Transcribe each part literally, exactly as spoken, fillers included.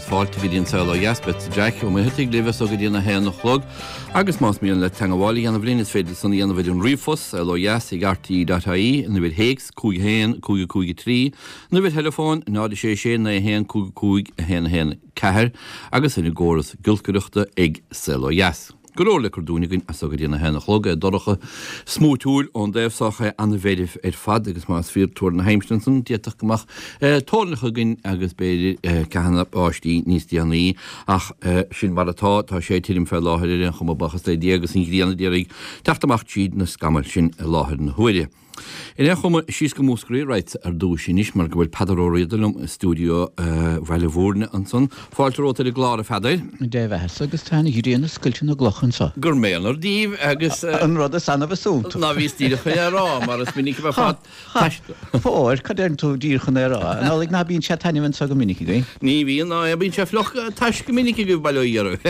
agus fáilte go dtí an Saol Ó Dheas, beadsa Jack Ó Muircheartaigh libh as so go dtí a haon a chlog agus más mian leat teagmháil a dhéanamh linn is féidir san a dhéanamh ar an ríomhphost saol ó dheas ag rte.ie an uimhir théacs cúig haon cúig cúig trí an uimhir theileafóin náid sé sé naoi haon cúig cúig a haon a haon ceathair agus ar an gcóras giolcaireachta ag Saol Ó Dheas. Go leor le cur dúinn againn as so go dtí a haon a chlog é dorcha smúitiúil ón dtaobh so é an-mheirbh ar fad agus más fíor tuar na haimsire ansan d'fhéadfadh go mbeadh toirneach againn agus b'fhéidir ceathanna báistí níos déanaí ach sin mar atá tá sé tirim fé láthair ar aon chuma buíochas le Dia agus an ghrian ag iarraidh teacht amach tríd na scamaill sin i láthair na huaire. In aon chuma, síos go Múscraí raghadsa ar dtúis anois mar go bhfuil Peadar Ó Riada liom i stiúideo Bhaile Bhúirne ansan. Fáilte romhat ar an gclár, a Pheadair. Dé bheatha agus tá an ghrian ag scoilteadh na gcloch anso. Gur méanar daoibh agus. An rud is annamh is iontach. Ná bhíos díreach chun é a rá mar is minic a bheifeá taistil. Fóir, cad deireann tú díreach chun é a rá? An amhlaidh ná bíonn sé taitneamh anso go minic againn? Ní bhíonn ná bíonn sé fliuch tais go minic agaibh bail ó Dhia oraibh.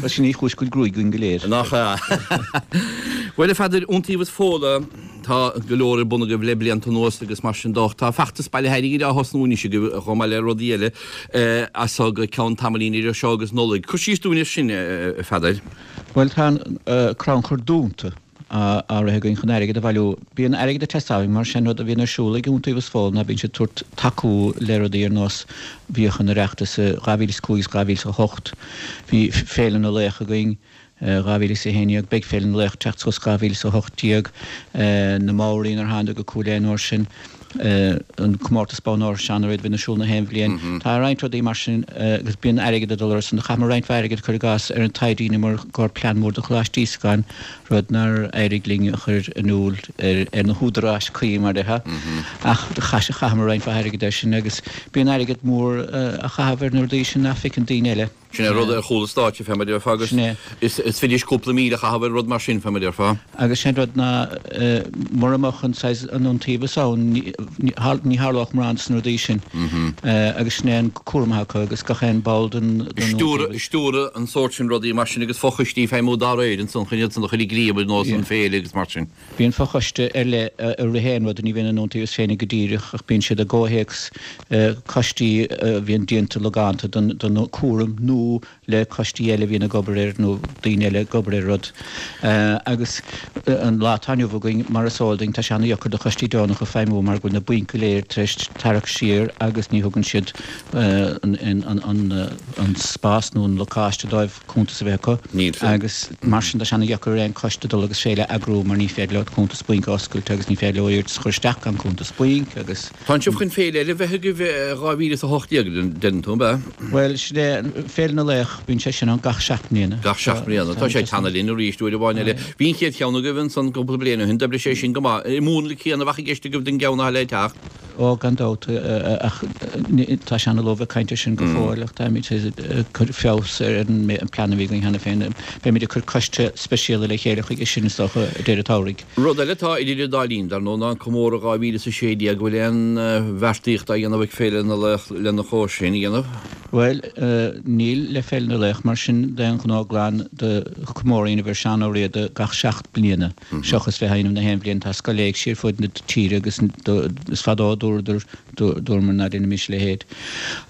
Bhuel sin í an chúis go bhfuil gruaig againn go léir. Nach ea? Bhuel a Pheadair, Iontaobhas Fódhla, tá go leor ar bun agaibh le blianta anuas agus mar sin de. Tá feachtas bailithe airgid á thosnú anois agaibh chomh maith le rudaí eile as so go ceann tamaillín idir seo agus Nollaig. Cur síos dúinn air sin, a Pheadair. Bhuel, tá an crannchur dúnta á rith againn chun airgead a bhailiú. Bíonn airgead ag teastáil uainn mar sin rud a bhíonn ar siúl ag Iontaobhas Fódhla ná bíonn siad ag tabhairt tacú le rudaí ar nós bhíodh an Oireachtas i dhá mhíle is cúig is dhá mhíle is a hocht. Bhí Féile na Laoch againn. dhá mhíle is a haon déag, beidh Féile na Laoch ag teacht suas dhá mhíle is a hocht déag, na Maoraí nuair a thánadar go Cúil Aodha an uair sin, an comórtas bonn óir Seán Ó Riada a bhíonn ar siúl na haon bhliain. Tá roinnt rudaí mar sin agus bíonn airgead ag dul orthu san. Chaitheamar roinnt mhaith airgid, cuir i gcás, ar an taighde a dheineamar i gcomhair plean mór do Choláiste Íosagáin, rud nár éirigh linn a chur in iúl ar na húdaráis cuí, mar a déarfá. Ach chaitheamar roinnt mhaith airgid air sin agus bíonn airgead mór á chaitheamh ar na rudaí sin nach bhfeiceann daoine eile. Sin é rud ar chúl an stáitse, fé mar a déarfá, agus Sin é. is fidis cúpla míle a chaitheamh ar rud mar sin, fé mar a déarfá. Agus sin rud ná, mura mbeadh an saghas, an iontaobhas ann, ní tharlódh mórán de na rudaí sin. Agus sin é an cúram atá acu agus gach aon ball den iontaobhas. Stiúradh an sórt sin rudaí mar sin agus fochoistí ag feidhmiú dá réir ansan chun iad san a chur i gcrích ar nós an féile agus mar sin. Bíonn fochoiste ar leith a ritheann rud, ní bhíonn an iontaobhas féinig go díreach ach bíonn siad i gcomhthéacs coistí a bhíonn déanta logánta don chúram nó le coistí eile a bhíonn ag obair air nó daoine eile ag obair ar rud. Agus an lá atá inniu againn, mar is eol duinn, tá sé ana-dheacair do choistí deonacha feidhmiú mar go bhfuil na bainc go léir tar éis tarrac siar agus ní thugann siad an spás nó an lacáiste dóibh cuntas a bheith acu. Agus mar sin tá sé ana-dheacair ar aon choiste dul agus féile a eagrú mar ní féidir leo cuntas bainc a oscailt agus ní féidir leo iarratas a chur isteach gan cuntas bainc agus. Tánn sibh chun féile eile a bheith agaibh i dhá mhíle is a hocht déag, deireann tú, ab ea? Bhuel, sin é, Féile na Laoch, bíonn sé sin ann gach seacht mbliana. Gach seacht mbliana. Tá sé ag teannadh linn arís uair amháin eile. Bhí an chéad cheann agaibh ansan cúpla bliain ó shin, d'oibrigh sé sin go maith. An múnla céanna a bheadh i gceist agaibh don gceann atá le teacht? Ó, gan dabht, ach tá sé ana-luath bheith ag caint air sin go fóill, ach táimid ag cur feabhas ar an bplean a bhí againn cheana féin. Beimid ag cur coiste speisialta le chéile chuige sin, is dócha, ag deireadh an tsamhraidh. Rud eile atá idir an dá linn, dar ndóigh, ná an comóradh dhá mhíle is a sé déag. An bhfuil aon bheartaíocht á dhéanamh ag Féile na Laoch lena chois sin a dhéanamh? Bhuel, níl le Féile na Laoch, mar sin d'aon ghnó glan do chomóradh a dhéanamh ar Seán Ó Riada gach seacht mbliana, seachas bheith á dhéanamh na haon bhliain. Tá scoil éigse ar fud na tíre agus is fadó a dúradar, dúramar ná déanaimis a leithéid.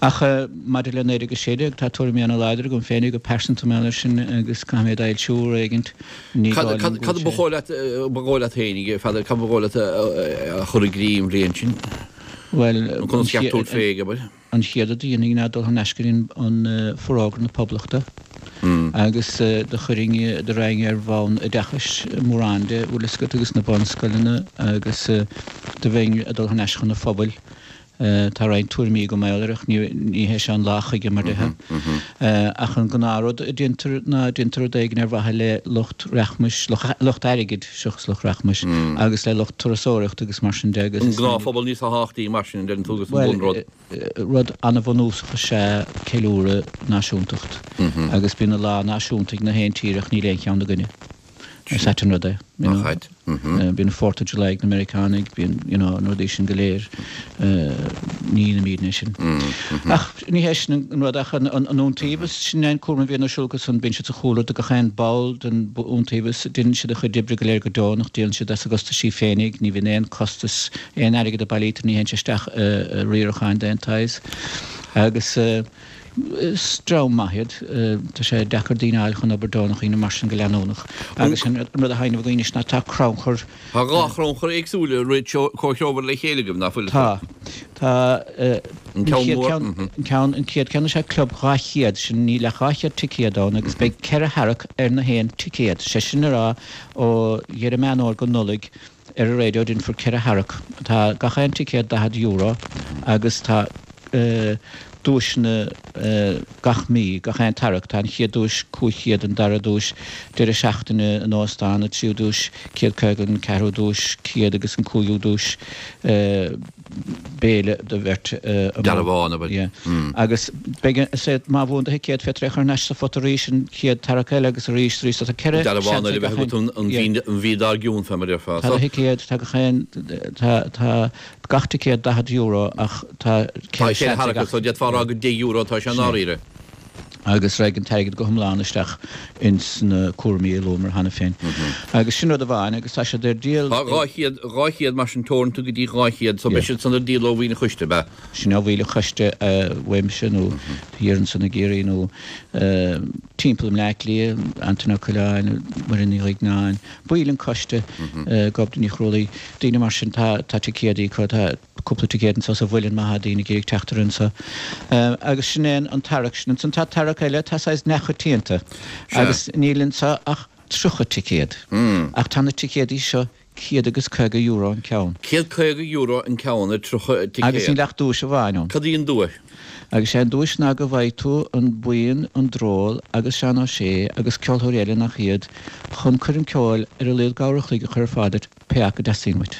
Ach maidir le naoi déag a sé déag, tá tuairimí ana-láidir agam féinig go pearsanta mar gheall air sin agus caithfidh mé iad a fhoilsiú uair éigint. Ní Cad dóigh liom go cad bhfuil ba sé. dhóigh leat, ba dhóigh leat féinig, a Pheadair, cad ba dhóigh leat a chur i gcrích an bhliain sin? Bhuel, Nó an conas cheap tú chéad, féig, abair? an chéad rud a dhéanfainn ná dul thar n-ais go dtí an Forógra na Poblachta agus do chuirfinn, do raghainn ar bhonn oideachais mórán de, bhfuil fhios agat, agus na bunscoileanna agus do bheinn ag dul thar n-ais chun an phobail. Tá roinnt tuairimí agam mar gheall air ach ní hé seo an lá chuige mar déarfá. Ach an gnáthrud a déantar ná déantar rud éigin ar mhaithe le lucht rachmais, lucht airgid seachas lucht rachmais, agus le lucht turasóireachta agus mar sin de agus An is minic. gnáthphobal níos tábhachtaí mar sin, deireann tú, agus an Bhuel, bunrud. rud an-bhunúsach is ea ceiliúradh náisiúntacht agus bíonn an lá náisiúnta ag na haon tír ach níl aon cheann againne. Is ait an rud é, you know. Nach ait? Bíonn an Fourth of July ag na Meiriceánaigh, bíonn, you know, na rudaí sin go léir, ní dhéanaimidne é sin. Ach ní hé sin an rud ach an iontaobhas, sin é an cúram a bhíonn ar siúl acu san, bíonn siad sa chúlra do gach aon ball den iontaobhas, déanann siad a chuid oibre go léir go deonach, díolann siad as a gcostaisí féinig, ní bhíonn aon costas, aon airgead a bailítear ní théann sé isteach i riaracháin d'aon tsaghas. Agus. Is dream maith iad. Tá sé deacair daoine a fháil chun obair deonach a dhéanamh mar sin go leanúnach. Agus sin an rud a thaitneamh againn anois ná tá crannchur. Tá dhá chrannchur éagsúla comhthreomhar le chéile agaibh, nach bhfuil? Tá. Tá an chéad ceann, an ceann, an chéad ceann is ea Club dhá chéad, sin níl ach dhá chéad ticéad ann agus beidh ceithre tharrac ar na haon ticéad. Sé sin le rá ó dheireadh Meán Fhómhair go Nollaig ar an raidió déanfar ceithre tharrac. Tá gach aon ticéad daichead euro agus tá duaiseanna gach mí, gach aon tarrac. Tá an chéad duais cúig chéad, an dara duais deireadh seachtaine in óstán, an tríú duais céad caoga, an ceathrú duais céad agus an cúigiú duais béile do bheirt amuigh. Dearbhán, abair. Yeah. Agus beidh, is é, má bhuann do thicéad féadtar é a chur thar n-ais sa phota arís an chéad tarrac eile agus arís, arís. So tá ceithre seans Dearbhán eile ag a bheith gach agat aon, an yeah. mhí, an mhí dár gcionn, fé mar a déarfá. Tá So. do thicéad, tá gach aon, tá, tá gach ticéad daichead euro ach tá Tá ceithre ceithre seans ag tharrac, gach. so d'fhéadfá a rá gur deich euro atá sé i Sin é. ndáiríre. Agus raghaidh an t-airgead go hiomlán isteach ins na cúraimí a luamar cheana féin. Agus sin rud amháin agus tá siad ar díol. Tá dhá chéad, dhá chéad mar sin teoranta go dtí dhá chéad, so beidh Yeah. siad san ar díol ó bhaill an choiste, ab ea? Sin ó bhaill an choiste uaimse nó thiar ansan i gCiarraí nó timpeall i mBleá Cliath, Antaine Ó Coileáin, Muireann Ní Dhuigneáin, baill an choiste, Gobnait Ní Chrualaoi, daoine mar sin, tá tá ticéadaí acu, tá cúpla ticéad anso sa Mhuileann má tá daoine ag iarraidh teacht ar anso. Agus sin é an tarrac sin. Ansan tá tarrac eile atá saghas neamhchoitianta agus níl anso ach tríocha ticéad. Ach tá na ticéadaí seo céad agus caoga euro an ceann. Céad caoga euro an ceann ar tríocha Agus ticéad. níl ach duais amháin ann. Cad í an duais? Agus sé an duais ná go bhfaighidh tú an buíon, an Dról agus Seán Ó Sé agus ceoltóirí eile nach iad chun coirm ceoil ar a laghad uair a chloig a chur ar fáil duit pé acu a dteastaíonn uait.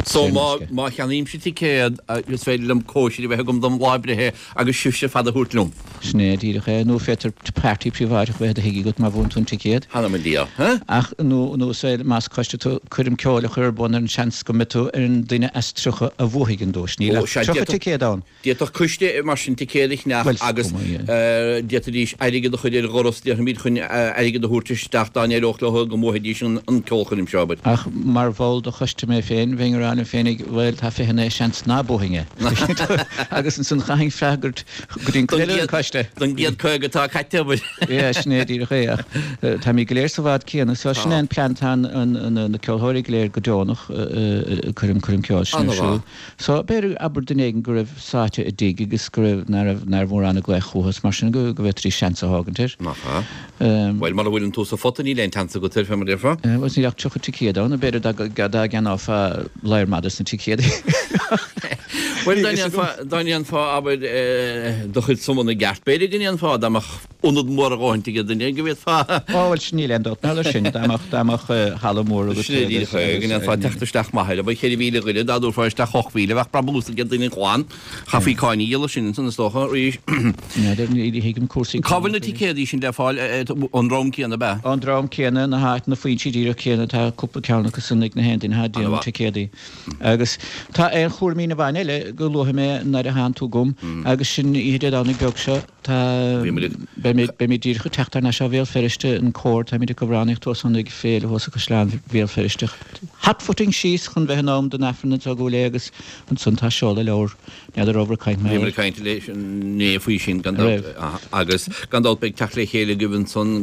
So Saor in má aisce. má cheannaímse ticéad is féidir liom cóisir a bheith agam dom lá breithe agus sibhse ar fad a thabhairt liom. Sin é díreach é, nó féadtar party príobháideach a bheith i do thigh agat má bhuann tú an ticéad. Th'anam 'na Dhia, huh? Ach nó nó sé más coiste tú coirm ceoil a chur ar bun ar an seans go mbeidh tú ar an duine as tríocha a bhuafaidh an duais. Níl Ó, ach sea, tríocha d'fhéadfadh ticéad ann. D'fhéadfadh coiste mar sin ticéad a cheannach Bhuel, agus cuma, yeah. d'fhéadfaidís airgead a chur ar dhoras, déarfaimid, chun airgead a thabhairt isteach dá n-éireodh leo go mbuafaidís an an ceolchoirm seo, abair. Ach mar bhall de choiste mé féin, bheinn ag rá liom féinig, bhuel, tá fiche naoi seans ná buafainn é. Agus ansan chaithfinn freagairt go dtí an Don cuid eile den gcéad choiste. don gcéad caoga atá caite, abair. Yeah, sin é díreach é, ach táimid go léir sa bhád céanna, so sin é an plean, tá an na ceoltóirí go léir go deonach coirm coirm ceoil sin ar An-mhaith. siúl. So b'fhéidir abair duine éigin go raibh sáite i dtigh agus go raibh ná raibh ná raibh mórán ag glaoch chucu is mar sin go go bhféadfaidís seans a thógaint air. Nach ea? Bhuel, mura bhfuileann tú sa phota níl aon tseans agat air, fé mar a déarfá. Bhuel, níl ach tríocha ticéad ann, b'fhéidir dá dá gceannófá lear maith des na ticéadaí. Bhuel, dá ndéanfá dá ndéanfá abair do chuid sumanna i gceart, b'fhéidir go ndéanfá dá mbeadh ionad mór a dhóthaint ag duine go bhféadfá. Ó, bhuel, sin níl aon dabht ná leis sin, dá mbeadh dá mbeadh halla mór agat Sin é díreach agus é, go agus ndéanfá teacht isteach maith air, abair ceithre mhíle dhuine, dá dtabharfá isteach ocht mhíle, bheadh brabús ag duine glan. Chaithfí cáin a dhíol as sin ansan, is dócha, arís. N'fheadar, ní thuigim cúrsaí Cá bhfuil cánach na really. ticéadaí sin le fáil, an dream céanna ab ea? An dream céanna, na háit, na foinsí díreach céanna, tá cúpla ceann acu san ag na haon duine atá ag déanamh An-mhaith. ticéadaí. Agus tá aon chúraimín amháin eile go luafaidh mé nuair a thánn tú agam agus sin oíche Dé Domhnaigh beag seo, tá, Bhí muid ag. beimid, beimid díreach ag teacht thar n-ais ó Bhéal Feirste, an cór, táimid ag amhránaíocht thuas ann ag féile thuas i gCaisleán Bhéal Feirste. Hot-footing síos chun bheith in am don Aifreann anseo i gCúil Aodha agus ansan tá seoladh leabhar, n'fheadar raibh ag caint mar Bhí muid ag caint leis inné faoi sin gan An dabht raibh? agus gan dabht beidh teacht le chéile agaibh ansan,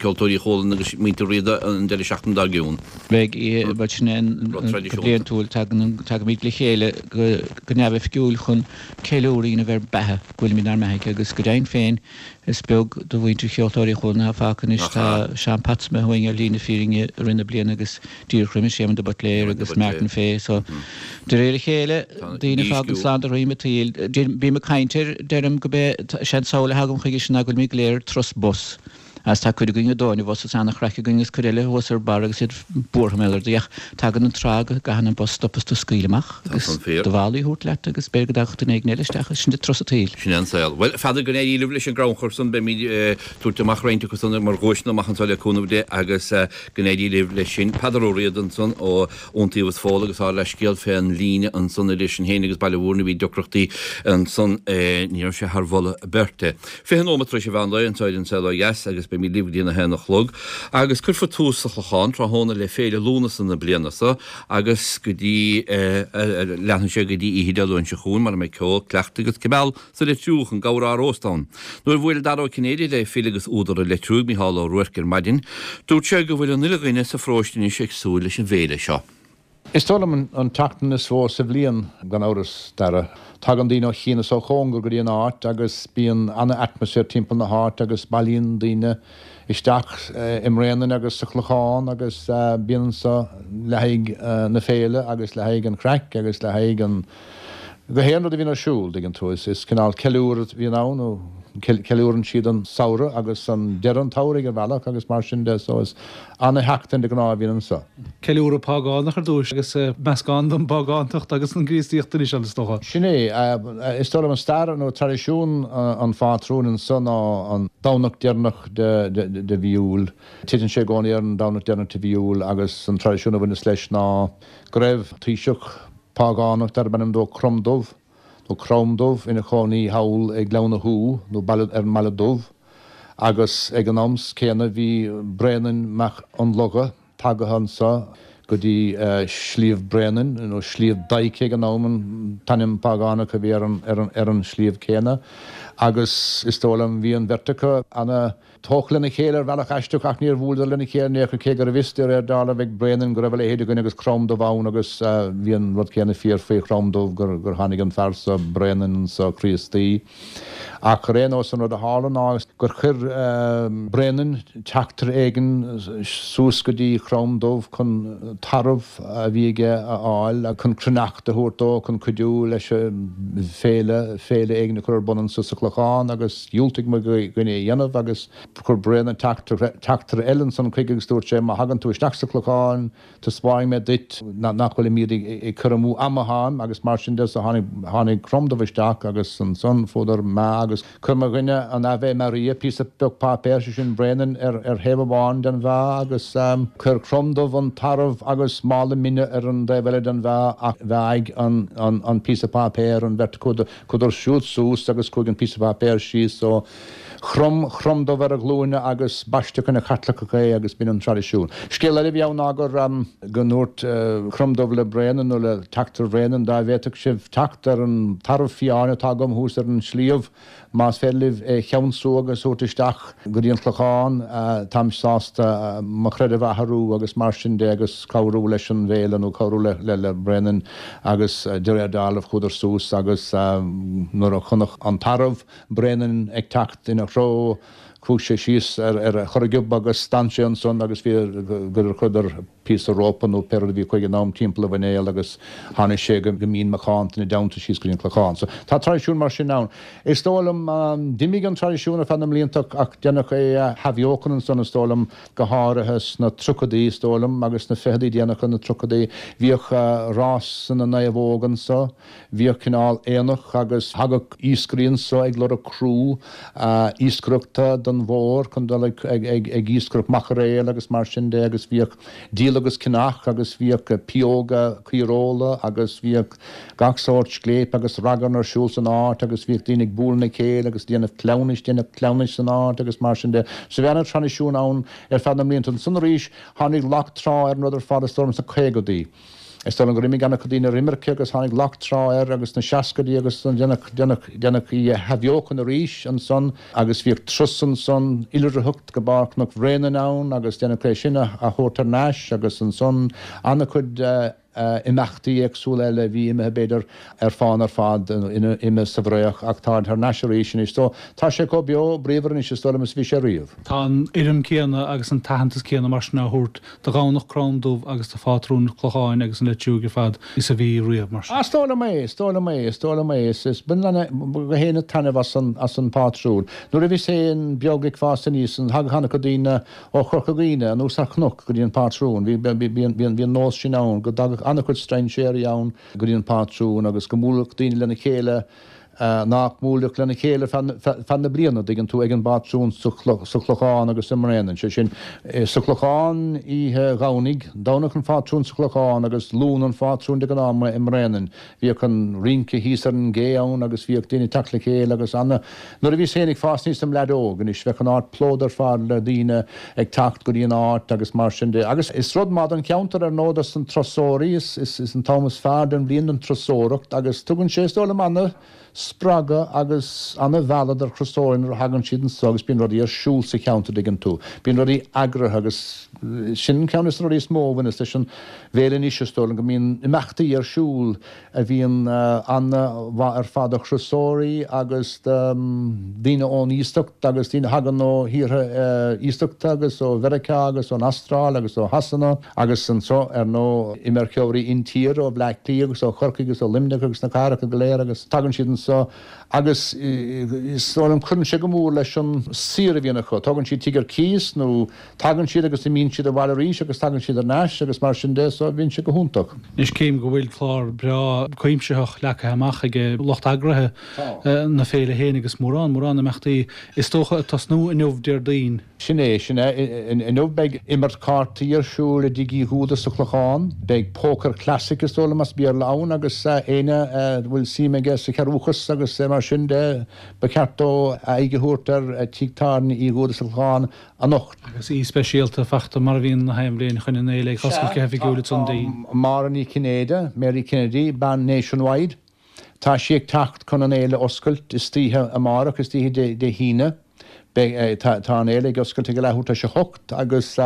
Ceoltóirí Chualann agus muintir Riada an deireadh seachtaine dár gcionn. Beidh, bhuel sin é an Rud go traidisiúnta. bliantúil, tagann, tagaimid le chéile go, go neamhoifigiúil chun ceiliúradh a dhéanamh ar beatha, go bhfuilimid inár mbeathaigh agus go deimhin féin is beag de mhuintir Cheoltóirí Chualann atá fágtha anois. Nach Tá ea? Seán Potts imithe uainn ar shlí na fírinne i rith na bliana agus díreach roimis, Éamon de Buitléir Éamon de agus Buitléir. Martin Fay. So de réir a chéile, Tá daoine ag fágaint dísciú. slán de dhroim an tsaoil. Bím ag caint air, deirim go b'é, sé an tsamhail a thagann chuige sin ná go bhfuilimid go léir ar turas bus. Agus tá cuid againn ag dó an bhus is an-chraic againn agus cuid eile thuas ar barr agus iad buartha mar gheall air. Ach tagann an tráth go gcaitheann an bus stop is tú scaoileadh amach Tá agus san fíor. do mhálaí a thabhairt leat agus b'fhéidir go dtagadh duine éigin eile isteach agus sin turas an tsaoil. Sin é an saol. Bhuel, n'fheadar go n-éirí libh leis an gcrannchur san, beimid ag tabhairt amach roinnt acu san mar dhuaiseanna amach anseo le cúnamh Dé agus go n-éirí libh leis sin. Peadar Ó Riada ansan ó Iontaobhas Fódhla agus ár leithscéal fén líne ansan idir sinn féin agus Baile Mhúirne bhí deacrachtaí ansan ní raibh sé thar mholadh beirte. Fiche nóiméad tar éis an mheán lae anseo ar An Saol Ó Dheas agus beimid libh go dtí a haon a chlog agus cuirfear tús sa Chlochán tráthnóna le Féile Lúnasa na bliana seo agus go dtí leanfaidh sé go dtí oíche Dé Luain seo chugainn mar a mbeidh ceol, cleachtadh agus cibeal sa Leitriúch, an Gabhar á róstadh ann. Nuair a bhuail Dara Ó Cinnéide le file agus údar an Leitriúigh, Mícheál Ó Ruairc ar maidin, dúirt sé go bhfuil an uile dhuine sa pharóiste anois ag súil leis an bhféile seo. Is dóigh liom an tseachtain is mó sa bhliain gan amhras, Dara. Tagann daoine ó chian is ó chóngar go dtí an áit agus bíonn an-atmaisféar timpeall na háite agus bailíonn daoine isteach i mBréanainn agus sa Chlochán agus bíonn anso le haghaidh na féile agus le haghaidh an chraic agus le haghaidh an gach aon rud a bhíonn ar siúl, dtuigeann tú. Is cineál ceiliúradh a bhíonn ann nó ceiliúrann siad an samhradh agus an deireadh an tsamhraidh ar bhealach agus mar sin de so is ana-sheachtain de ghnáth a bhíonn anso. Ceiliúradh págánach ar dtús agus meascán den bpágántacht agus an Chríostaíocht anois is dócha. Sin é, is dóigh liom an stair nó traidisiún an phátrúin anso ná an Domhnach deireanach de de mhí Iúil. Titeann sé i gcónaí ar an Domhnach deireanach de mhí Iúil agus an traidisiún a bhaineas leis ná go raibh taoiseach págánach darb ainm dó Cromdubh nó Crom Dubh ina chónaí thall ag Gleann na hÚ nó baile ar an mBaile Dubh agus ag an am céanna bhí Bréanainn Mac Fhionnlogha tagaithe anso go dtí Sliabh Bréanainn nó Sliabh Daidhce ag an am an t-ainm págánach a bhí ar an ar an ar an sliabh céanna agus is dóigh liom bhí an bheirt acu ana tógtha lena chéile ar bhealach aisteach ach níor bhuaileadar lena chéile in aon chor cé gurbh fhios de réir dealraimh ag Bréanainn go raibh a leithéid de dhuine agus Crom Dubh ann agus bhí an rud céanna fíor faoi Chrom Dubh gur gur tháinig an fear so Bréanainn anso Críostaí. Ach ar aon nós an rud a tharla ná gur chuir Bréanainn teachtaire éigin suas go dtí Crom Dubh chun tarbh a bhí aige a fháil chun cruithneacht a thabhairt dó chun cuidiú leis an féile féile éigin a chur ar bun anso sa Chlochán agus dhiúltaigh mo dhuine é a dhéanamh agus chuir Bréanainn teachtaire eile ansan chuige agus dúirt sé má thagann tú isteach sa Chlochán taispeánfaidh mé duit nach bhfuilimid ag cur amú ama ann agus mar sin de so tháinig tháinig Crom Dubh isteach agus ansan fuaireadar meá agus chuir mo dhuine an Ave Maria píosa beag páipéir sé sin Bréanainn ar ar thaobh amháin den mheá agus chuir Crom Dubh an tarbh agus mála mine ar an dtaobh eile den mheá ach mheáigh an an an píosa páipéir an bheirt acu chuadar siúd suas agus chuaigh an píosa páipéir síos so chrom Crom Dubh ar a ghlúine agus baisteadh ina Chaitliceach é agus b'in an traidisiún. Scéal eile a bhí ann ná gur go ndúirt Crom Dubh le Bréanainn nó le teachtaire Bhréanainn dá bhféadfadh sibh teacht ar an tarbh fiáin atá agam thuas ar an sliabh más féidir libh é a cheansú agus a thabhairt isteach go dtí an Clochán táim sásta mo chreideamh a athrú agus mar sin de agus cabhrú leis an bhféile nó cabhrú le le le Bréanainn agus de réir dealraimh chuadar suas agus nuair a chonaic an tarbh Bréanainn ag teacht ina threo chuaigh sé síos ar ar a chorragiob agus d'fhan sé ansan agus bhí gur chuireadar píosa rópa nó pé rud a bhí acu ag an am timpeall a mhuinéal agus tháinig sé go mín macánta ina dteannta síos go dtí an Clochán. So tá traidisiún mar sin ann. Is dóigh liom, d'imigh an traidisiún ar feadh na mblianta ach deineadh é a athbheochan ansan is dóigh liom, go háirithe sna tríochaidí is dóigh liom agus sna ficheadaí déanacha na tríochaidí. Bhíodh rás na naomhóg anso, bhíodh cineál aonach agus thagadh iascairí anso ag lorg criú iascaireachta don mhuir chun dul ag ag iascaireacht maiceréil agus mar sin de agus bhíodh díol agus ceannach agus bhíodh pióga caoireola agus bhíodh gach sórt scléip agus ragairne ar siúl san áit agus bhíodh daoine ag bualadh lena chéile agus déanamh cleamhnais, déanamh cleamhnais san áit agus mar sin de. So bhí ana-thraidisiún ann ar feadh na mblianta. Ansan arís tháinig lag trá ar an rud ar fad is dóigh liom sna caogaidí. Is dóigh liom gur imigh ana-chuid daoine ar imirce agus tháinig lag trá air agus sna seascaidí agus deineadh, deineadh, deineadh í a athbheochan arís ansan agus bhíodh turas ansan oilithreacht go barr Chnoc Bhréanainn ann agus deineadh é sin a thabhairt thar n-ais agus ansan ana-chuid imeachtaí éagsúla eile a bhí imithe b'fhéidir ar fán ar fad, imithe sa bhfraoch ach táid thar n-ais arís anois. So tá sé chomh beo bríomhar anois is dóigh liom is a bhí sé riamh. Tá an urraim céanna agus an t-aitheantas céanna mar sin á thabhairt do Dhomhnach Crom Dubh agus do phátrún an Chlocháin agus an Leitriúigh ar fad is a bhí riamh, mar sin. Is dóigh liom é, is dóigh liom é, is dóigh liom é. Is, is baineann gach éinne taitneamh as an, as an bpátrún. Nuair a bhíos féin beag ag fás aníos, thagadh an-chuid daoine ó Chorca Dhuibhne anuas ar chnoc go dtí an pátrún. Bhí, bhí, bhí, bhí, bhí an nós sin ann go dtagadh an-chuid strainséirí ann go dtí an pátrún agus go mbuailfeadh daoine lena chéile nach mbuailfeadh lena chéile feadh na bliana, dtuigeann tú, ag an bPátrún sa Chlochán agus i mBréanainn, sé sin, sa Chlochán oíche Dhomhnaigh, Domhnach an Phátrúin sa Chlochán agus Luan an Phátrúin de ghnáth i mBréanainn. Bhíodh an rince thíos ar an gcé ann agus bhíodh daoine ag teacht le chéile agus ana. Nuair a bhíos féin ag fás aníos im leaid óg anois, bheadh an áit plódaithe ar fad le daoine ag teacht go dtí an áit agus mar sin de. Agus is rud maith don cheantar ar ndóigh dos na turasóirí, is is an t-am is fearr den bhliain don turasóireacht agus tugann sé, is dóigh liom, ana spreagadh agus ana mhealladh do thurasóirí nuair a thagann siad anso agus bíonn rudaí ar siúl sa cheantar, dtuigeann tú. Bíonn rudaí eagraithe agus sin ceann des na rudaí is mó a bhaineas leis an bhféile anois, is dóigh liom, go mbíonn imeachtaí ar siúl a bhíonn ana mhaith ar fad do thurasóirí agus do daoine ón iasacht agus daoine a thagann ó thíortha iasachta agus ó Mheiriceá agus ón Astráil agus ó Shasana agus anso ar ndóigh imirceoirí intíre ó Bhleá Cliath agus ó Chorcaigh agus ó Luimneach agus na cathracha go léir agus tagann siad anso agus is dóigh liom cuireann sé go mór leis an saoire a bhíonn acu. Tógann siad tigh ar cíos nó tagann siad agus imíonn siad abhaile arís agus tagann siad ar ais agus mar sin de so bíonn sé go hiontach. Anois cím go bhfuil clár breá cuimsitheach leagtha amach ag lucht eagraithe na féile féin agus mórán, mórán imeachtaí is dócha ag tosnú inniu Déardaoin. Sin é, sin é. Inniu beidh imirt cártaí ar siúl i dTigh Uí Dhúda sa Chlochán. Beidh Poker Classic is dóigh liom as Béarla ann agus éinne a bhfuil suim aige sa chearrbhachas agus mar sin de, ba cheart dó aghaidh a thabhairt ar Tigh Tábhairne Uí Dhúda sa Chlochán anocht. Agus aoi speisialta fachta mar a bhíonn na haon bhliain chun an fhéile ag oscailt go hoifigiúil ansan Déardaoin. Máire Ní Chinnéide, Mary Kennedy, bean Nationwide. Tá sí ag teacht chun an fhéile a oscailt istoíche amárach, istoíche Dé hAoine. Beidh, tá, tá an fhéile ag oscailt ag a leathuair tar éis a hocht agus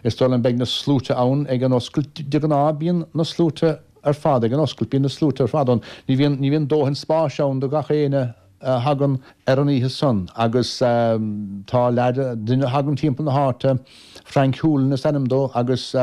is dóigh liom beidh na sluaite ann ag an oscailt. De ghnáth bíonn na sluaite ar fad ag an oscailt, bíonn na sluaite ar fad ann. Ní bhíonn, ní bhíonn dóthain spáis ann do gach éinne a thagann ar an oíche san agus tá leaid, duine a thagann timpeall na háite, Frank Hoolan is ainm dó agus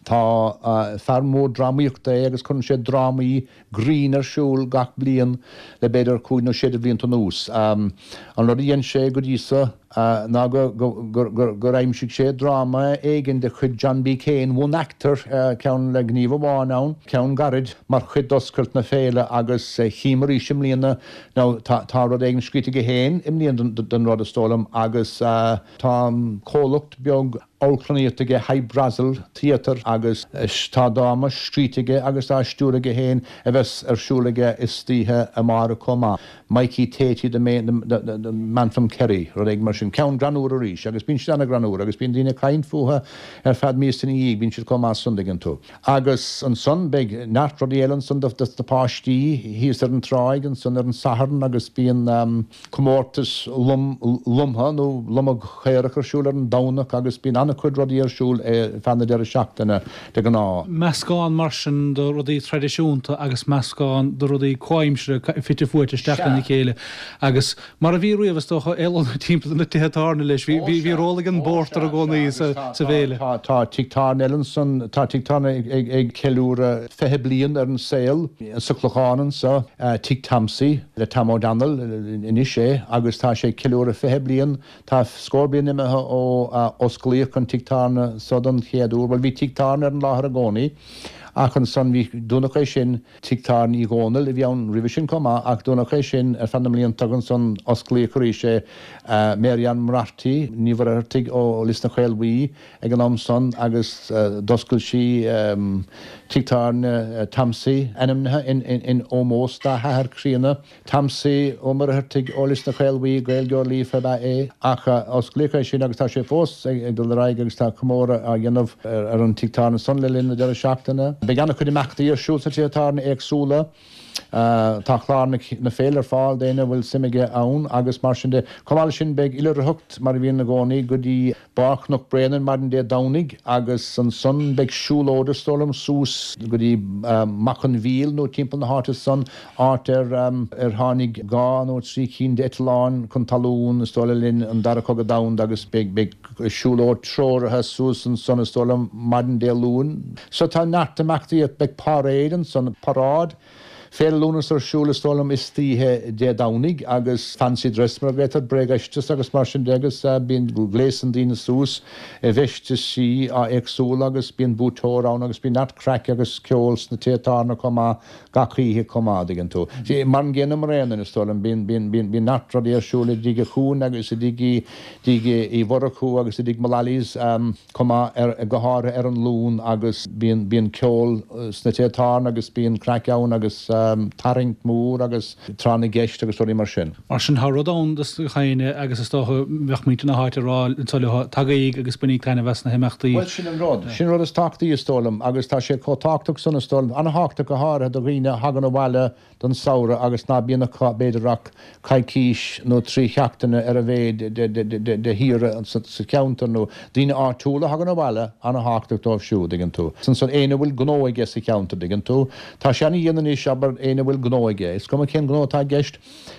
Tá fear mór drámaíochta é agus cuireann sé drámaí grinn ar siúl gach bliain le b'fhéidir cúig nó sé de bhlianta anuas. An rud a dhein sé go dtí so ná gur aimsigh sé dráma éigin de chuid John B. Keane, one actor, ceann le gníomh amháin ann, ceann gairid, mar chuid d'oscailt na féile agus chím arís i mbliana, now tá rud éigin scríte aige féin i mbliana don rud is dóigh liom agus tá comhlacht beag amharclannaíochta aige Hy Brasil Theatre agus tá dráma scríte aige agus á stiúradh aige féin a bheas ar siúl aige istoíche amárach chomh maith, Mikey Tatey the Man from Kerry, rud éigin mar sin. Ceann greannmhar arís agus bíonn siad ana-ghreannmhar agus bíonn daoine ag caint fúthu ar feadh míosa ina dhiaidh, bíonn siad chomh maith san, dtuigeann tú. Agus ansan beidh neart rudaí eile ansan do na páistí thíos ar an tráigh ansan ar an Satharn agus bíonn comórtas lomtha nó lomadh caorach ar siúl ar an Domhnach agus bíonn an-chuid rudaí ar siúl ar feadh na deireadh seachtaine de ghnáth. Meascán mar sin de rudaí traidisiúnta agus meascán de rudaí comhaimseartha fite fuaite isteach lena chéile agus mar a bhí riamh is dócha, éalónna timpeall na tithe tábhairne leis. Bhí bhí ról ag an bpórtar i gcónaí sa bhféile. Tá tigh tábhairne eile ansan, tá tigh tábhairne ag ceiliúradh fiche bliain ar an saol sa Chlochán anso, Tigh Tomsy le Tom O'Donnell anois é agus tá sé ag ceiliúradh fiche bliain. Tá scór bliain imithe ó osclaíodh an tigh tábhairne so don chéad uair. Bhuel, bhí tigh tábhairne ar an láthair i gcónaí ach ansan bhí, dúnadh é sin, tigh tábhairne Uí Dhónaill a bhí ann roimhe sin chomh maith ach dúnadh é sin ar feadh na mblianta agus ansan osclaíodh arís é. Mary Ann Moriarty Ní Mhuircheartaigh ó Lios na Caolbhuí ag an am san agus d'oscail sí tigh tábhairne Tomsy, ainmnithe in ómós dá hathair críonna, Tomsy Ó Muircheartaigh ó Lios na Caolbhuí, Gaeilgeoir líofa ab ea é, ach osclaíodh é sin agus tá sé fós ag dul ar aghaidh agus tá comóradh á dhéanamh ar an tigh tábhairne san le linn na deireadh seachtaine. Beidh an-chuid imeachtaí ar siúl sna tithe tábhairne éagsúla. Tá clár na féile ar fáil d'éinne a bhfuil suim aige ann agus mar sin de. Chomh maith leis sin beidh oilithreacht, mar a bhíonn i gcónaí, go dtí barr Chnoc Bréanainn maidin Dé Domhnaigh agus ansan beidh siúlóid is dóigh liom suas go dtí Machaire an Mhíl nó timpeall na háite san, áit ar ar tháinig dhá nó trí cinn d'eitleáin chun talún is dóigh le linn an Dara Cogadh Domhanda agus beidh beidh siúlóid treoraithe suas ansan is dóigh liom maidin Dé Luain. So tá neart imeachtaí, beidh paráid ansan, paráid. Féile Lúnasa ar siúl is dóigh liom istoíche Dé Domhnaigh agus fancy dress mar a ghlaotar, bréagfheisteas agus mar sin de agus bíonn gléasann daoine suas i bhfeistisí éagsúla agus bíonn buaiteoir ann agus bíonn neart craic agus ceol sna tithe tábhairne chomh maith gach oíche chomh maith, an dtuigeann tú. Mar an gcéanna i mBréanainn is dóigh liom, bíonn, bíonn, bíonn, bíonn neart rudaí ar siúl i dTigh an Chuain agus i dTigh, dTigh Uí Mhurchú agus i dTigh Mullally's chomh maith ar, go háirithe ar an Luan agus bíonn, bíonn ceol sna tithe tábhairne agus bíonn craic ann agus tarraingt mhór agus tráth na gceist agus rudaí mar sin. Mar sin tá rud ann dos gach éinne agus is dócha bheadh muintir na háite ag rá anso leo, tagaigí agus bainigí taitneamh as na himeachtaí. Bhuel sin an rud. Sin an rud is tábhachtaí is dóigh liom agus tá sé chomh tábhachtach san is dóigh liom, an-thábhachtach go háirithe do dhaoine a thagann abhaile don samhradh agus ná bíonn acu b'fhéidir ach coicís nó trí sheachtaine ar a mhéad de shaoire sa cheantar nó daoine áitiúla a thagann abhaile, an-thábhachtach dóibh siúd, tuigeann tú. Ansan éinne a bhfuil gnó aige sa cheantar, tuigeann tú. Tá sé ana-dhian anois, abair, éinne a bhfuil gnó aige, is cuma cén gnó atá i gceist,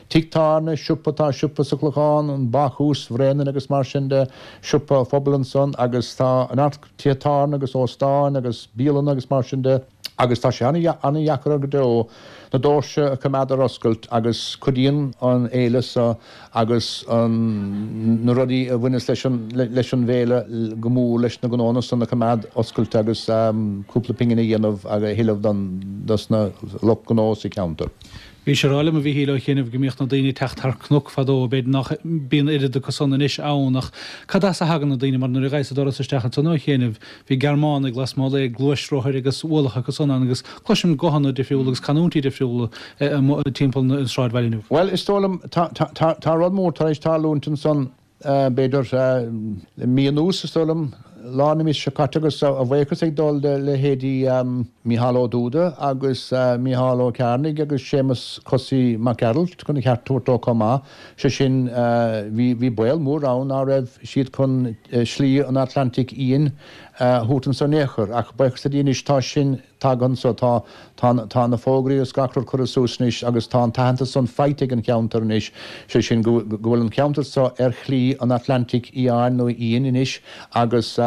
tigh tábhairne, siopa, tá siopa sa Chlochán, an Bácús Bhréanainn agus mar sin de, siopa phobail ansan agus tá neart tithe tábhairne agus óstáin agus bialanna agus mar sin de. Agus tá sé an-dheacair go deo na doirse a choimeád ar oscailt agus cuidíonn an fhéile seo agus na rudaí a bhaineas leis an leis an bhféile go mór leis na gnónna san a choimeád oscailte agus cúpla pingin a dhéanamh agus a thuilleamh don dos na lucht gnó sa cheantar. Bhís ag rá liom, a Mhíchíl, ó chianaibh go mbíodh na daoine ag teacht thar cnoc fadó, b'fhéidir nach mbíonn oiread acu san anois ann ach cad as a thagann na daoine mar nuair a ghabhas an doras isteach ansan ó chianaibh bhí Gearmánaigh lasmuigh le gluaisrothair agus ualach acu san ann agus cloisim guthanna difriúla agus canúintí difriúla timpeall an sráidbhaile inniu. Bhuel, is dóigh liom, tá, tá, tá, tá rud mór tar éis tarlúint ansan b'fhéidir le mí anuas, is dóigh liom, lár na míosa seo caite agus a bhuíochas ag dul do leithéidí Mícheál Ó Dúda agus Mícheál Ó Cearnaigh agus Séamus Cosaí Mac Gearailt chun a cheart a thabhairt dó chomh maith, sé sin bhí bhí baol mór ann ná raibh siad chun Slí an Atlantaigh Fhiáin a thabhairt anso in aon chor ach buíochas le Dia anois tá sin tagtha anso, tá tá tá na fógraí agus gach rud curtha suas anois agus tá an t-aitheantas san faighte ag an cheantar anois, sé sin go go bhfuil an ceantar so ar Shlí an Atlantaigh Fhiáin nó Fhiáin anois agus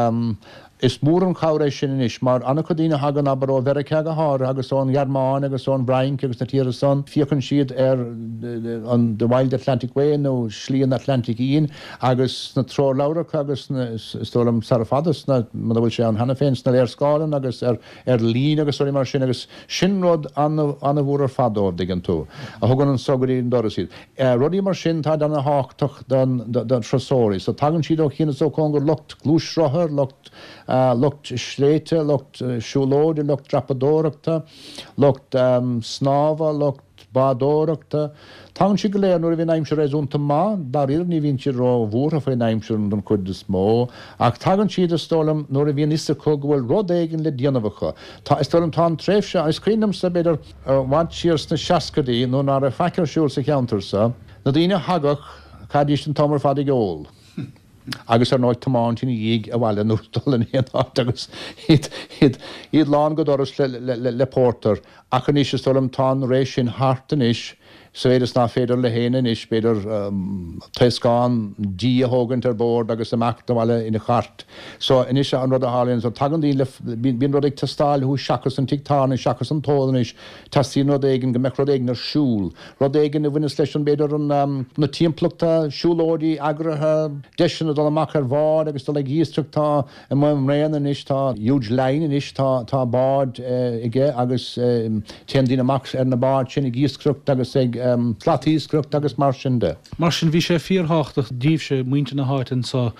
is mór an chabhair é sin anois mar an-chuid daoine a thagann, abair, ó Mheiriceá go háirithe agus ón Ghearmáin agus ón bhFrainc agus na tíortha san, féachann siad ar an The Wild Atlantic Way nó Slí an Atlantaigh Fhiáin agus sna treoirleabhracha agus sna, is dóigh liom, sara fada sna, muna bhfuil sé ann cheana féin, sna léarscáileanna agus ar ar líne agus rudaí mar sin agus sin rud an-mhór ar fad dóibh, dtuigeann tú, a thugann anso go dtí an doras iad. Rudaí mar sin, táid ana-thábhachtach don do thurasóirí. So tagann siad ó chian is ó chóngar, lucht gluaisrothar, lucht lucht sléibhte, lucht siúlóide, lucht dreapadóireachta, lucht snámha, lucht bádóireachta. Tagann siad go léir nuair a bhíonn aimsir réasúnta maith, dáiríre ní bhíonn siad ró-bhuartha faoin aimsir don chuid is mó, ach tagann siad, is dóigh liom, nuair a bhíonn fhios acu go bhfuil rud éigin le déanamh acu. Tá, is dóigh liom, tá an tréimhse, is cuimhin liomsa, b'fhéidir, i bhfad siar sna seascaidí, nuair ná raibh faic ar siúl sa cheantar so, na daoine a thagadh, chaithidís an t-am ar fad ag ól. Agus ar ndóigh tiomáint ina dhiaidh abhaile nó dul in aon áit agus iad, iad, iad lán go doras le, le, le, le pórtar. Ach anois is dóigh liom tá an ré sin thart anois sa mhéid is ná féidir le héinne anois b'fhéidir taoscán dí a thógaint ar bord agus imeacht abhaile ina chairt. So anois an rud a tharlaíonn so tagann daoine le, bíonn, bíonn rud ag teastáil uathu seachas an tigh tábhairne, seachas an t-ól anois, teastaíonn rud éigin, go mbeadh rud éigin ar siúl. Rud éigin a bhaineas leis an, b'fhéidir, an, na timpeallachta, siúlóidí eagraithe, deiseanna dul amach ar bhád agus dul ag iascaireacht. Tá i Maigh mBréanainn anois, tá huge line anois, tá, tá bád aige agus téann daoine amach ar na báid sin ag iascaireacht agus ag slatiascaireacht agus mar sin de. Mar sin, bhí sé fíorthábhachtach daoibhse, muintir na háite anso,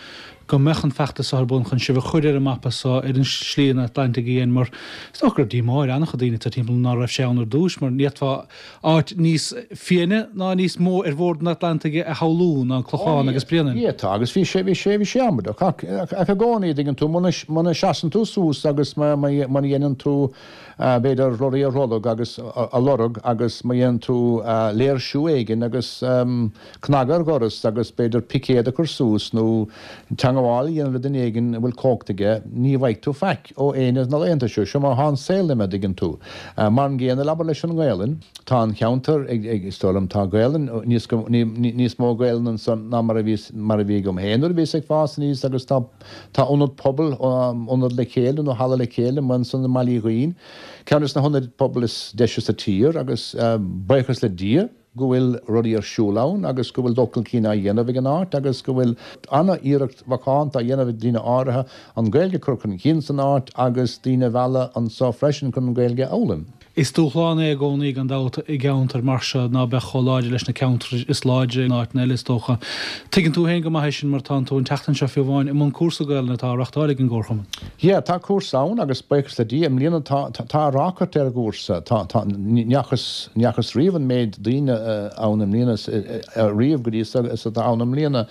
go mbeadh an feachtas so ar bun chun sibh a chur ar an mapa so, ar an Slí an Atlantaigh Fhiáin, mar is dócha go raibh díomá ar an-chuid daoine atá timpeall ná raibh sé ann ar dtús, mar ní fhéadfá áit níos fiaine ná níos mó ar bhord an Atlantaigh a shamhlú ná an Clochán agus Bréanainn. Ní fhéadfá, agus bhí sé, bhí sé, bhí sé amaideach, ach, ach i gcónaí, dtuigeann tú, muna, muna seasann tú suas agus má, má, muna dhéanann tú, b'fhéidir, rudaí a lorg agus a lorg agus má dhéanann tú léirsiú éigin agus cnagadh ar dhoras agus b'fhéidir picéad a chur suas nó teagmháil teagmháil a dhéanamh le duine éigin a bhfuil cumhacht aige, ní bhfaighidh tú faic ó éinne de na laethanta seo, seo mar atá an saol imithe, dtuigeann tú. Mar an gcéanna, abair leis an nGaelainn, tá an cheantar ag, ag, is dóigh liom, tá Gaelainn, níos, níos mó Gaelainn ansan ná mar a bhí, mar a bhí agam féin nuair a bhíos ag fás aníos agus tá, tá ionad pobail, ionad le chéile nó halla le chéile amuigh ansan i mBaile Uí Dhuinn, ceann des na hionaid pobail is deise sa tír agus buíochas le Dia, go bhfuil rudaí ar siúl ann agus go bhfuil dul chun cinn á dhéanamh ag an áit agus go bhfuil an-iarracht mhacánta á dhéanamh ag daoine áirithe an Ghaeilge a chur chun cinn san áit agus daoine a mhealladh anso freisin chun an Ghaeilge a fhoghlaim. Is dúshlán é i gcónaí gan dabht i gceantar mar seo ná beadh chomh láidir leis na ceantair is láidre in áiteanna eile is dócha. Tuigeann tú féin go maith é sin mar tánn tú an tseachtain seo fiú amháin i mbun cúrsa Gaelainne atá á reachtáil ag an gComharchumann. Yeah, tá cúrsa ann agus buíochas le Dia i mbliana tá tá ráchairt ar an gcúrsa. Tá tá ní fhacthas ní fhacthas riamh an méid daoine ann i mbliana riamh go dtí seo is atá ann i mbliana.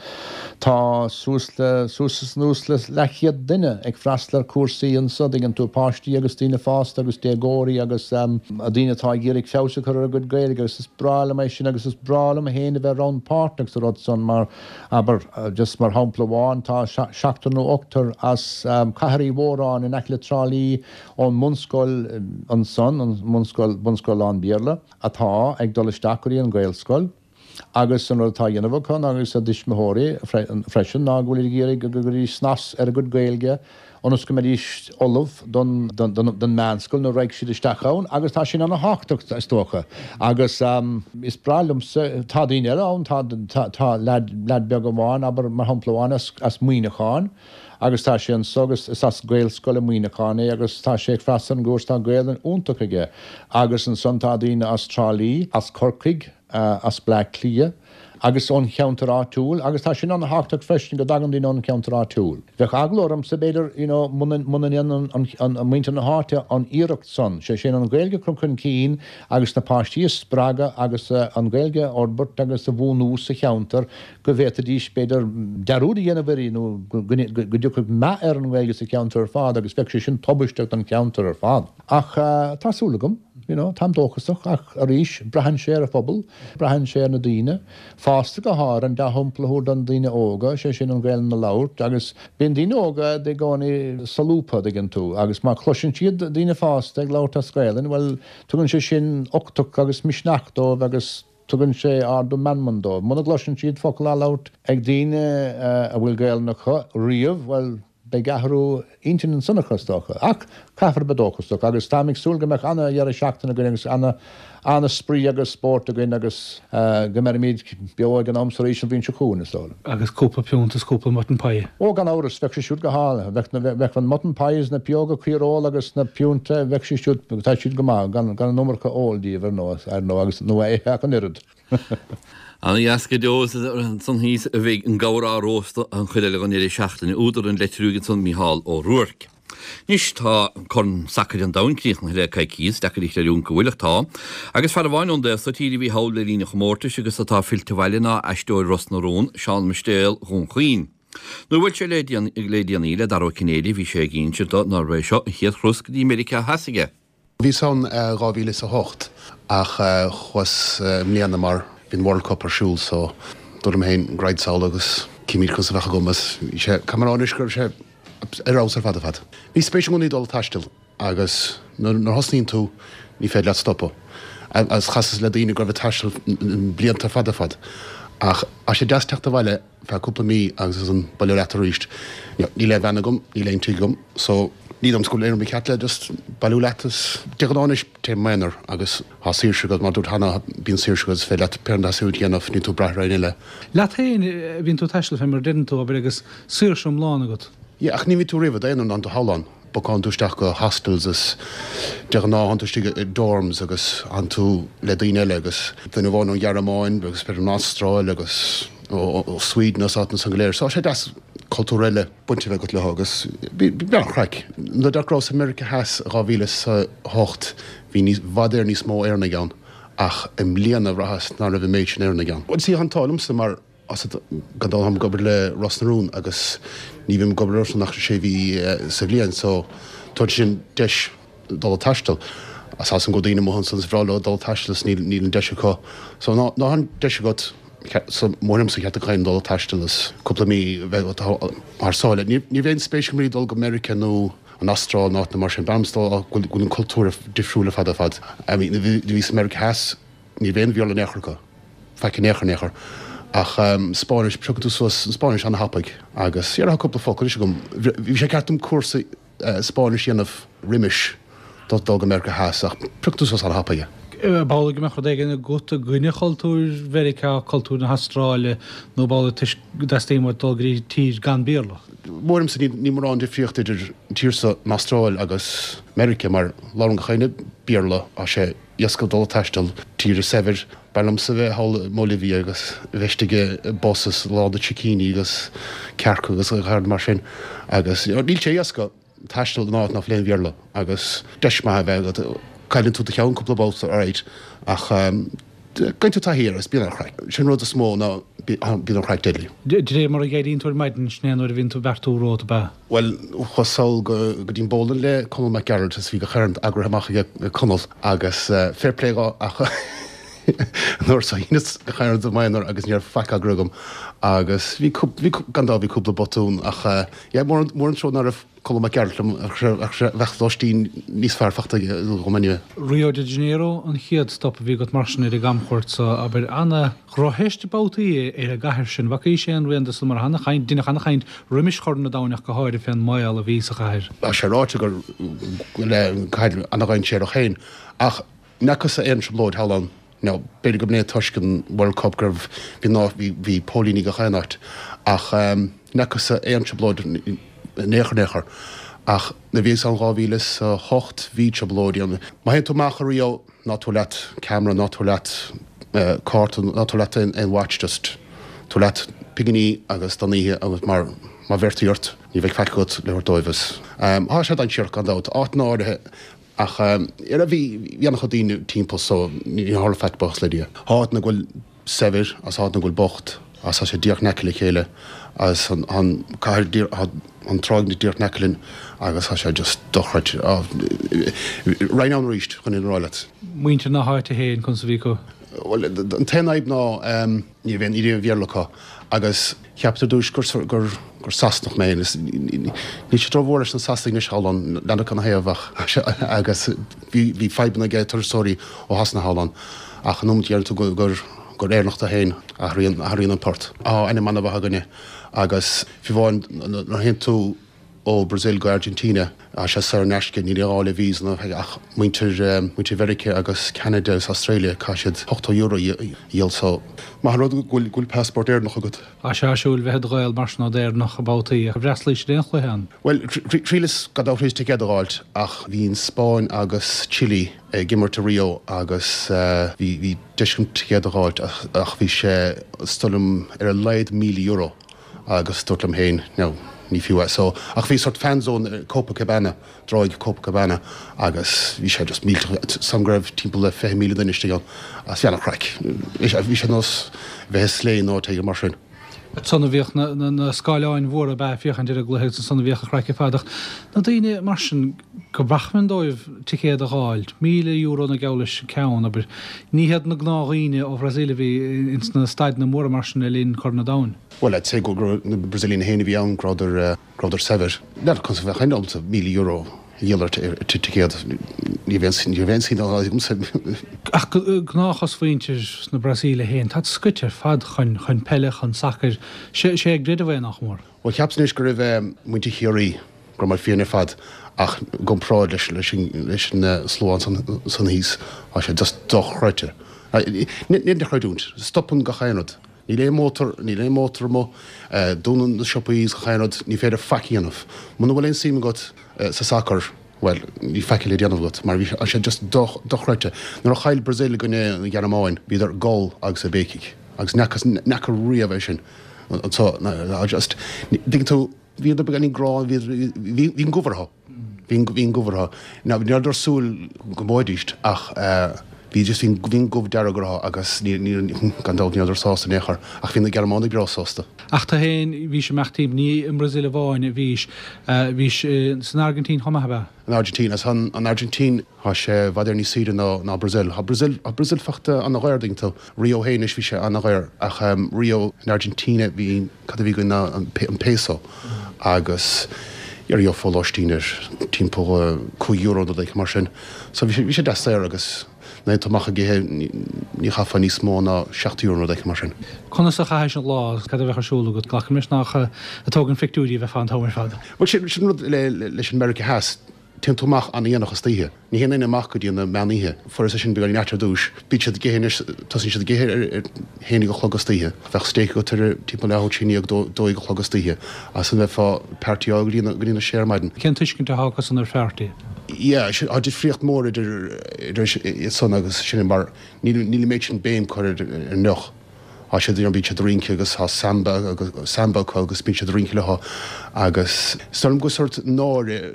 Tá suas le suas is anuas le leathchéad duine ag freastal ar chúrsaí anso, dtuigeann tú, páistí agus daoine fásta agus déagóirí agus daoine atá ag iarraidh feabhas a chur ar a gcuid Gaeilge agus is breá liom é sin agus is breá liom féin a bheith rannpháirteach sa rud san mar, abair, just mar shampla amháin, tá seachtar nó ochtar as Cathair Uí Mhóráin in aice le Trá Lí ón mbunscoil ansan, an mbunscoil, bunscoil lán-Bhéarla, atá ag dul isteach go dtí an Ghaelscoil agus an rud atá á dhéanamh acu agus a dtuismitheoirí freisin ná go bhfuil ag iarraidh go gcuirfidís snas ar a gcuid Gaeilge ionas go mbeidís ullamh don don meánscoil nuair a raghaidh siad isteach ann agus tá sin ana-thábhachtach is dócha agus is breá liomsa, tá daoine eile ann, tá tá leaid leaid beag amháin abair mar shampla amháin as as Muineachán agus tá sé anso agus is as Gaelscoil i Muineachán é agus tá sé ag freastal ar an gcúrsa, tá Gaelainn iontach aige agus ansan tá daoine as Trá Lí, as Corcaigh, as Bleá Cliath agus ón cheantar áitiúil agus tá sin an-thábhachtach freisin go dtagann daoine ón cheantar áitiúil. Bheadh eagla ormsa b'fhéidir you know muna muna ndéanann an an muintir na háite an iarracht san, sé sin an Ghaeilge a chur chun cinn agus na páistí a spreagadh agus an Ghaeilge a fhorbairt agus a bhunú sa cheantar go bhféadfaidís b'fhéidir dearúd a dhéanamh uirthi nó go go dtiocfadh meath ar an nGaeilge sa cheantar ar fad agus bheadh sé sin tubaisteach don cheantar ar fad. Ach tá súil agam, you know, táim dóchasach ach arís braitheann sé ar an phobal, braitheann sé ar na daoine fásta go háirithe, an dea-shampla a thabhairt don daoine óga, sé sin an Ghaelainn a labhairt agus bíonn daoine óga i gcónaí solúbtha, dtuigeann tú, agus má chloiseann siad daoine fásta ag labhairt as Gaelainn, bhuel, tugann sé sin uchtach agus misneach dóibh agus tugann sé ardú meanman dóibh. Muna gcloiseann siad focal á labhairt ag daoine a bhfuil Gaelainn acu riamh, bhuel, beidh athrú intinn ansan acu, is dócha. Ach caithfear a bheith dóchasach agus táim ag súil go mbeadh ana-dheireadh seachtaine againn agus ana-spraoi agus spórt againn agus go mbeimid beo ag an am so arís an bhliain seo chugainn, is dóigh liom. Agus cúpla piúnt is cúpla mutton pie. Ó, gan amhras, bheadh sé siúd go hálainn. Bheadh na, bheadh an mutton pies, na pióga caoireola agus na piúnta, bheadh sé siúd, tá siad go maith, gan, gan an iomarca óil díobh ar ndóigh, ar ndóigh, agus, nó a ithe ach an oiread. Ana dheas go deo is ansan thíos a bheidh an gabhar á róstadh an chuid eile den deireadh seachtaine. Údar an leitir uaidh ansan Mícheál Ó Ruairc. Anois tá Corn Sacair an Domhain críochnaithe le coicíos, deacair a chreidiúint go bhfuil ach tá. Agus fear amháin ón dtaobh so tíre a bhí thall le linn an chomórtais agus atá fillte abhaile ná aisteoir Ros na Rún, Seán Mistéal Dhún Chaoin. Nuair a bhuail sé le déanaí le Dara Ó Cinnéide bhí sé ag insint do nárbh é seo an chéad thuras go dtí Meiriceá Theas aige. Bhíos ann dhá mhíle is a hocht ach chuas i mbliana mar bhí an World Cup ar siúl so dúirt liom féin raghad sall agus cífimid conas a bheadh agam agus bhí sé, caithfidh mé a rá anois go raibh sé ar fheabhas ar fad ar fad. Bhí spéis i gcónaí dul ag taisteal agus nuair a thosnaíonn tú ní féidir leat stopadh. Agus chasas le daoine go raibh ag taisteal blianta fada fad ach tá sé deas teacht abhaile feadh cúpla mí agus ansan baile leat arís. Níl aon bhean agam, níl aon tigh agam so ní dóigh liom go bhfuil aon rud ceart le just bailiú leat is de ghnáth anois téim i m'aonar agus tá saoirse agat mar dúirt cheana bíonn saoirse agat is féidir leat pé rud a dhéanamh níl tú ag brath ar éinne eile. Leat féin a bhíonn tú ag taisteal fé mar a deireann tú, abair, agus saoirse iomlán agat. Yeah ach ní bhíonn tú riamh i d'aonar ná in do shamhlán. Bookálann tú isteach go hostels is de ghnáth tánn tú istigh i dorms agus tánn tú le daoine eile agus duine amháin ón Ghearmáin agus b'fhéidir ón Astráil agus ó Sweden as áiteanna san go léir. So tá sé deas cultúr eile baint a bheith agat leo agus bhí an-chraic. Nuair a rabhas i Meiriceá Theas dhá mhíle is a hocht bhí níos, i bhfad Éireann níos mó Éireannaigh ann ach i mbliana bhraitheas ná raibh an méid sin Éireannaigh ann. Bhuel sea, tá an t-ádh liomsa mar as gan dabht táim ag obair le Ros na Rún agus ní bhím ag obair orthu ach sé mhí sa bhliain so tugann sin deis dul ag taisteal. Is tá a fhios agam go bhfuil daoine amuigh ansan is bhreá leo dul ag taisteal is níl níl an deis acu. So ná ná an deis agat So mothaím liomsa ceart go dul ag taisteal is cúpla mí bheith thar sáile. Ní bheadh aon spéis agam dul go Meiriceá nó an Astráil nó áiteanna mar sin. B'fhearr liomsa dul go bhfuil an cultúr difriúil ar fad ar fad. I mean, bhí bhí sa Meiriceá Theas, ní bheadh aon Bhéarla in aon chor acu. Faic in aon chor in aon chor. Ach Spáinnis, piocann tú suas an Spáinnis an-thapaidh agus yeah, tá cúpla focal anois agam. Bhí sé ceart dom cúrsa Spáinnis a dhéanamh roimis dul go Meiriceá Theas ach piocann tú suas an-thapaidh é. B'amhlaidh go mbeadh rud éigin agat i gcoinne chultúr Mheiriceá, cultúr na hAstráile nó b'amhlaidh toisc go dteastaíonn uait dul go dtí tír gan Béarla? Mothaím liomsa níl mórán difríocht idir an tír seo, an Astráil agus Meiriceá mar labhrann gach éinne Béarla, tá sé éasca dul ag taisteal, tír saibhir. B'fhearr liomsa bheith thall i mBolivia agus bheith istigh i bus is lán de sicíní agus cearca agus gach rud mar sin agus níl sé éasca taisteal in áit nach bhfuil aon Bhéarla agus deis maith a bheith agat. Cailleann tú do cheann cúpla babhta alright ach faigheann tú taithí air agus bíonn an-chraic. Sin an rud is mó ná bíonn an chraic deadly. De réir mar a dh'éiríonn tú ar maidin, sin é an uair a bhíonn tú ag beartú romhat, ab ea? Bhuel, chuas sall go dtí an bowling le Conall Mac Gearailt is bhí gach aon rud eagraithe amach aige Conall agus fair play dhó ach an uair so dheineas gach aon rud i m'aonar agus ní raibh faic eagraithe agam agus bhí bhí gan dabht bhí cúpla botún ach yeah mór mór an trua ná raibh Conall Mac Gearailt liom ach bheadh lóistín níos fearr fachta aige dhom anyway. Rio de Janeiro an chéad stop a bhí agat mar sin ar an gcamchuairt so, abair, ana-dhrochtheist babhtaí ar an gcathair sin. Bhfacaís aon rian de san mar ana-chaint, deineadh ana-chaint roimis Chorn an Domhain ach go háirithe fén mbaol a bhí sa chathair. Tá sé ráite gur le cathair ana-dhainséarach féin ach Ní fhacas-sa aon trioblóid thall ann. Now, b'fhéidir go mb'in é toisc an World Cup go raibh, bhí ná, bhí, bhí póilíní gach aon áit. Ach ní fhacas-sa aon trioblóid in aon chor, in aon chor. Ach nuair a bhíos ann dhá mhíle is a hocht bhí trioblóidí ann. Má théann tú amach i Rio, ná tabhair leat camera, ná tabhair leat cárta, ná tabhair leat aon, aon watch, just tabhair leat pinginí agus don oíche agus mar má bheirtí ort ní bheidh faic agat le thabhairt dóibh. Is tá sé dainséarach gan dabht. Áiteanna áirithe Ach ar a bhí bhí an-chuid daoine timpeall so ní tharla faic buíochas le Dia. Tá áiteanna go bhfuil saibhir agus áiteanna go bhfuil bocht agus tá sé díreach in aice le chéile agus an an cathair díreach tá an tráigh díreach in aice linn agus tá sé just dochreidte. Raghainn ann arís chun é a rá leat. Muintir na háite féin conas a bhí acu? Bhuel an t-aon fhadhb ná ní raibh aon ní raibh aon Bhéarla acu agus Cheapas ar dtúis gur gur gur Sasanach mé agus níl siad rómhór leis na Sasanaigh anois thall ann, n'fheadar canathaobh ach agus bhí bhí fadhbanna ag turasóirí ó Shasana thall ann ach an nóiméad a deireann tú gur gur gur Éireannach tú féin athraíonn athraíonn an port. Tá ainm an-mhaith againne agus fiú amháin nuair a théann tú ó Brazil go Argentina, tá sé saor in aisce, níl aon ghá le visa ná ach muintir muintir Mheiriceá agus Ceanada agus Australia, caithfidh siad ochtó euro a dhíol so maith an rud go bhfuil go bhfuil passport Éireannach agat. Tá sé áisiúil bheith i do Ghael mar sin nó d'Éireannach babhtaí ach d'fhreastalaís ar aon chluiche ann? Bhuel, thriaileas gan dabht thriaileas ticéad a dh'fháilt ach bhí an Spáinn agus Chile ag imirt i Rio agus bhí bhí deis agam ticéad a dh'fháilt ach bhí sé is dóigh liom ar a laghad míle euro. agus dúrt liom féin, no, ní fiú é. So, ach bhí sort fan zone i Copacabana, dtráigh Copacabana agus bhí sé just millteach, sam go raibh timpeall le fiche míle duine istigh ann agus bhí an-chraic. Bhí sé, bhí sé nós bheith i sleigh nó áit éigin mar sin. Ansan a bhíodh na, na, na scáileáin mhóra ab ea ag féachaint ar an gcluiche agus ansan a bhíodh an chraic ar fad ach na daoine mar sin gur b'acmhainn dóibh ticéad a dh'fháilt, míle euro nó geall leis an ceann, abair. Ní hiad na gnáthdhaoine ó Bhrasaíl a bhí ins na staideanna móra mar sin le linn Corn an Domhain. Bhuel, I'd say go raibh na Brazilians féin a bhí ann, go rabhadar, go rabhadar saibhir. N'fheadar conas a bheadh aon agamsa míle euro a dhíol ar ticéad. Ní raibh aon, ní raibh aon suim agamsa. Ach gnáthchosmhuintir na Brasaíle féin, táid scoite ar fad chun, chun peile, chun sacair. Sé, sé a gcreideamh é nach mór. Bhuel, cheapas anois go raibh muintir Chiarraí, go raibh muid fiáin ar fad ach i gcomparáid leis, leis an, leis an slua ansan, san thíos, tá sé just dochreidte. Ní féidir a chreidiúint. Stopann gach aon rud. Níl aon mótar, níl aon mótar amuigh, dúnann na siopaí is gach aon rud, ní féidir faic a dhéanamh. Muna bhfuil aon suim agat sa sacar, bhuel, níl faic le déanamh agat mar bhí sé just dochreidte. Nuair a chaill Brazil i gcoinne an Ghearmáin, bhíodar ag gol agus ag béicigh agus n'fheacas, n'fheaca riamh é sin anso, just, dtuigeann tú, bhíodar beagáinín gránna, bhí, bhí an gomh orthu, bhí an gomh orthu. Now, ní rabhadar ag súil go mbuafaidís ach, bhí Bhí just bhí bhí an goimh dearg orthu agus ní ní gan dabht ní rabhadar sásta in aon chor ach bhí na Gearmánaigh breá sásta. Ach tú féin bhís ag imeacht timpeall, ní i mBrasaíl amháin a bhís, bhís san Airgintín chomh maith, ab ea? An Airgintín, as an an Airgintín tá sé i bhfad Éireann níos saoire ná ná Brazil. Tá Brazil tá Brazil fachta ana-dhaor dtuigeann tú. Rio féin anois bhí sé ana-dhaor ach Rio in Argentina bhí cad a bhí againn ná an an peso agus gheofá lóistín ar timpeall cúig euro nó rud mar sin. So bhí sé bhí sé deas saor agus nuair atá tú amach ag ithe ní chaithfeá níos mó ná seacht euro nó rud mar sin. Conas a chaithis an lá agus cad a bheadh ar siúl agat? Glacaim leis nach ag tógaint pictiúirí a bheifeá an t-am ar fad. Bhuel sin sin rud le leis an Meiriceá Theas. Téann tú amach an-dhéanach istoíche. Ní théann éinne amach go dtí na meán oíche. Fuaireas é sin beagáinín ait ar dtús. Bíonn siad ag ithe anois, tosaíonn siad ag ithe ar a haon déag a chlog istoíche. Bheadh steak agat ar timpeall leathuair i ndiaidh dó, dó dhéag a chlog istoíche. As san bheifeá ag partyáil go dtí na, go dtí na sé ar maidin. Cén tuiscint atá acusan ar pharty? Yeah, sin, tá difríocht mór idir, idir iad san agus sinne mar níl, níl an méid sin béim curtha ar an ndeoch. Tá siad, you know, bíonn siad ag rince agus tá samba agus samba acu agus bíonn siad ag rince leo agus is dóigh liom go sórt náire,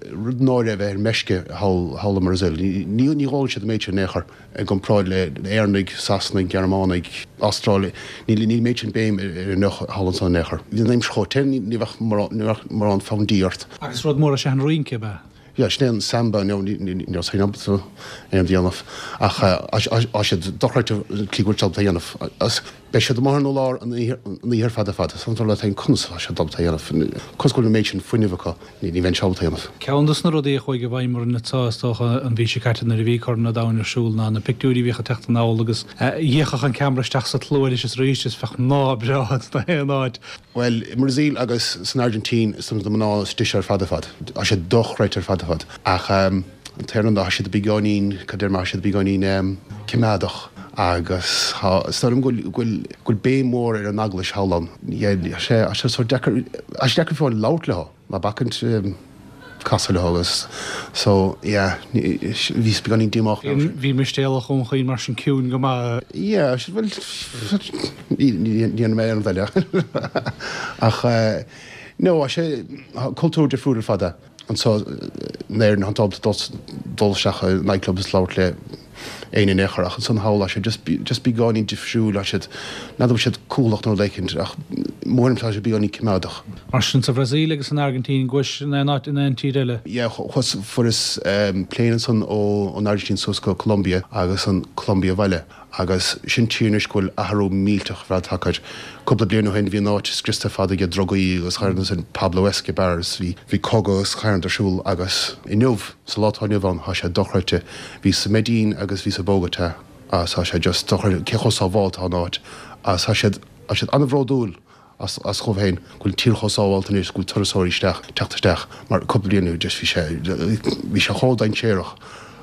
rud náire a bheith ar meisce thall, thall i mBrazil. Ní, ní ólann siad an méid sin in aon chor i gcomparáid le Éireannaigh, Sasanaigh, Gearmánaigh, Astrálaigh. Níl, níl an méid sin béim ar an ndeoch thall ansan in aon chor. Bhí an aimsir chomh te, ní, ní bheadh mórán, ní bheadh mórán fonn dí ort. Agus rud mór is ea an rince, ab ea? Yeah, sin é an samba, no, ní, ní, ní raibh féin ábalta aon dhéanamh ach tá siad dochreidte an tslí go bhfuil siad ábalta a dhéanamh. Agus beidh siad amuigh ar an urlár an oíche, an oíche ar fad ar fad. Is iontas leat féin conas atá siad ábalta a dhéanamh, conas go bhfuil an méid sin fuinnimh acu, ní, ní bheinnse ábalta a dhéanamh. Ceann de na rudaí a chuaigh i bhfeidhm orainn anseo, is dócha, an mhí seo caite nuair a bhí Corn an Domhain ar siúl ná na pictiúirí a bhíodh ag teacht anall agus d'fhéachfadh an ceamara isteach sa tslua arís is arís is bheadh mná breá ins na haon áit. Bhuel, i mBrasaíl agus san Airgintín, is na mná is deise ar fad ar fad. Tá siad dochreidte ar fad ar fad. Ach an t-aon rud ná tá siad beagáinín, cad deir mé, tá siad beagáinín coimeádach agus tá, is dóigh liom go bhfuil, go bhfuil, go bhfuil béim mhór ar an eaglais thall ann. Yeah, tá sé, tá sé sórt deacair, tá sé deacair fiú amháin labhairt leo, ná bacaint. casadh leo agus so yeah bhíos beagáinín díomách mar sin. Bhí Mistéalach Dhún Chaoin mar sin ciúin go maith. Yeah bhuel ní dhéanfaidh mé aon rud eile ach no tá sé cultúr difriúil ar fad é. Anseo in Éirinn tá tú ábalta dul isteach i nightclub is labhairt le éinne in aon chor ach ansan thall tá sé just just beagáinín difriúil tá siad n'fheadar bhfuil siad cúthalach nó rud éicint ach mórán tá siad beagáinín coimeádach. Mar sin sa Bhrasaíl agus san Airgintín gcuais in aon áit in aon tír eile? Yeah chuas fuaireas plane ansan ó ón Airgintín suas go Colombia agus an Colombia abhaile. Agus sin tír anois go bhfuil athrú millteach ar fad tagtha air. Cúpla bliain ó shin bhí an áit scriosta ar fad ag drugaí agus chuir ansin Pablo Escobar is bhí bhí cogadh agus charn ar siúl agus inniu, sa lá atá inniu ann, tá sé dochreidte. Bhíos i Medellín agus bhíos i Bogotá agus tá sé just dochreidte cé chomh sábháilte atá an áit agus tá siad tá siad an-bhródúil as as dhóibh féin go bhfuil an tír chomh sábháilte anois go bhfuil turasóirí isteach teacht isteach mar cúpla bliain ó just bhí sé bhí sé chomh dainséarach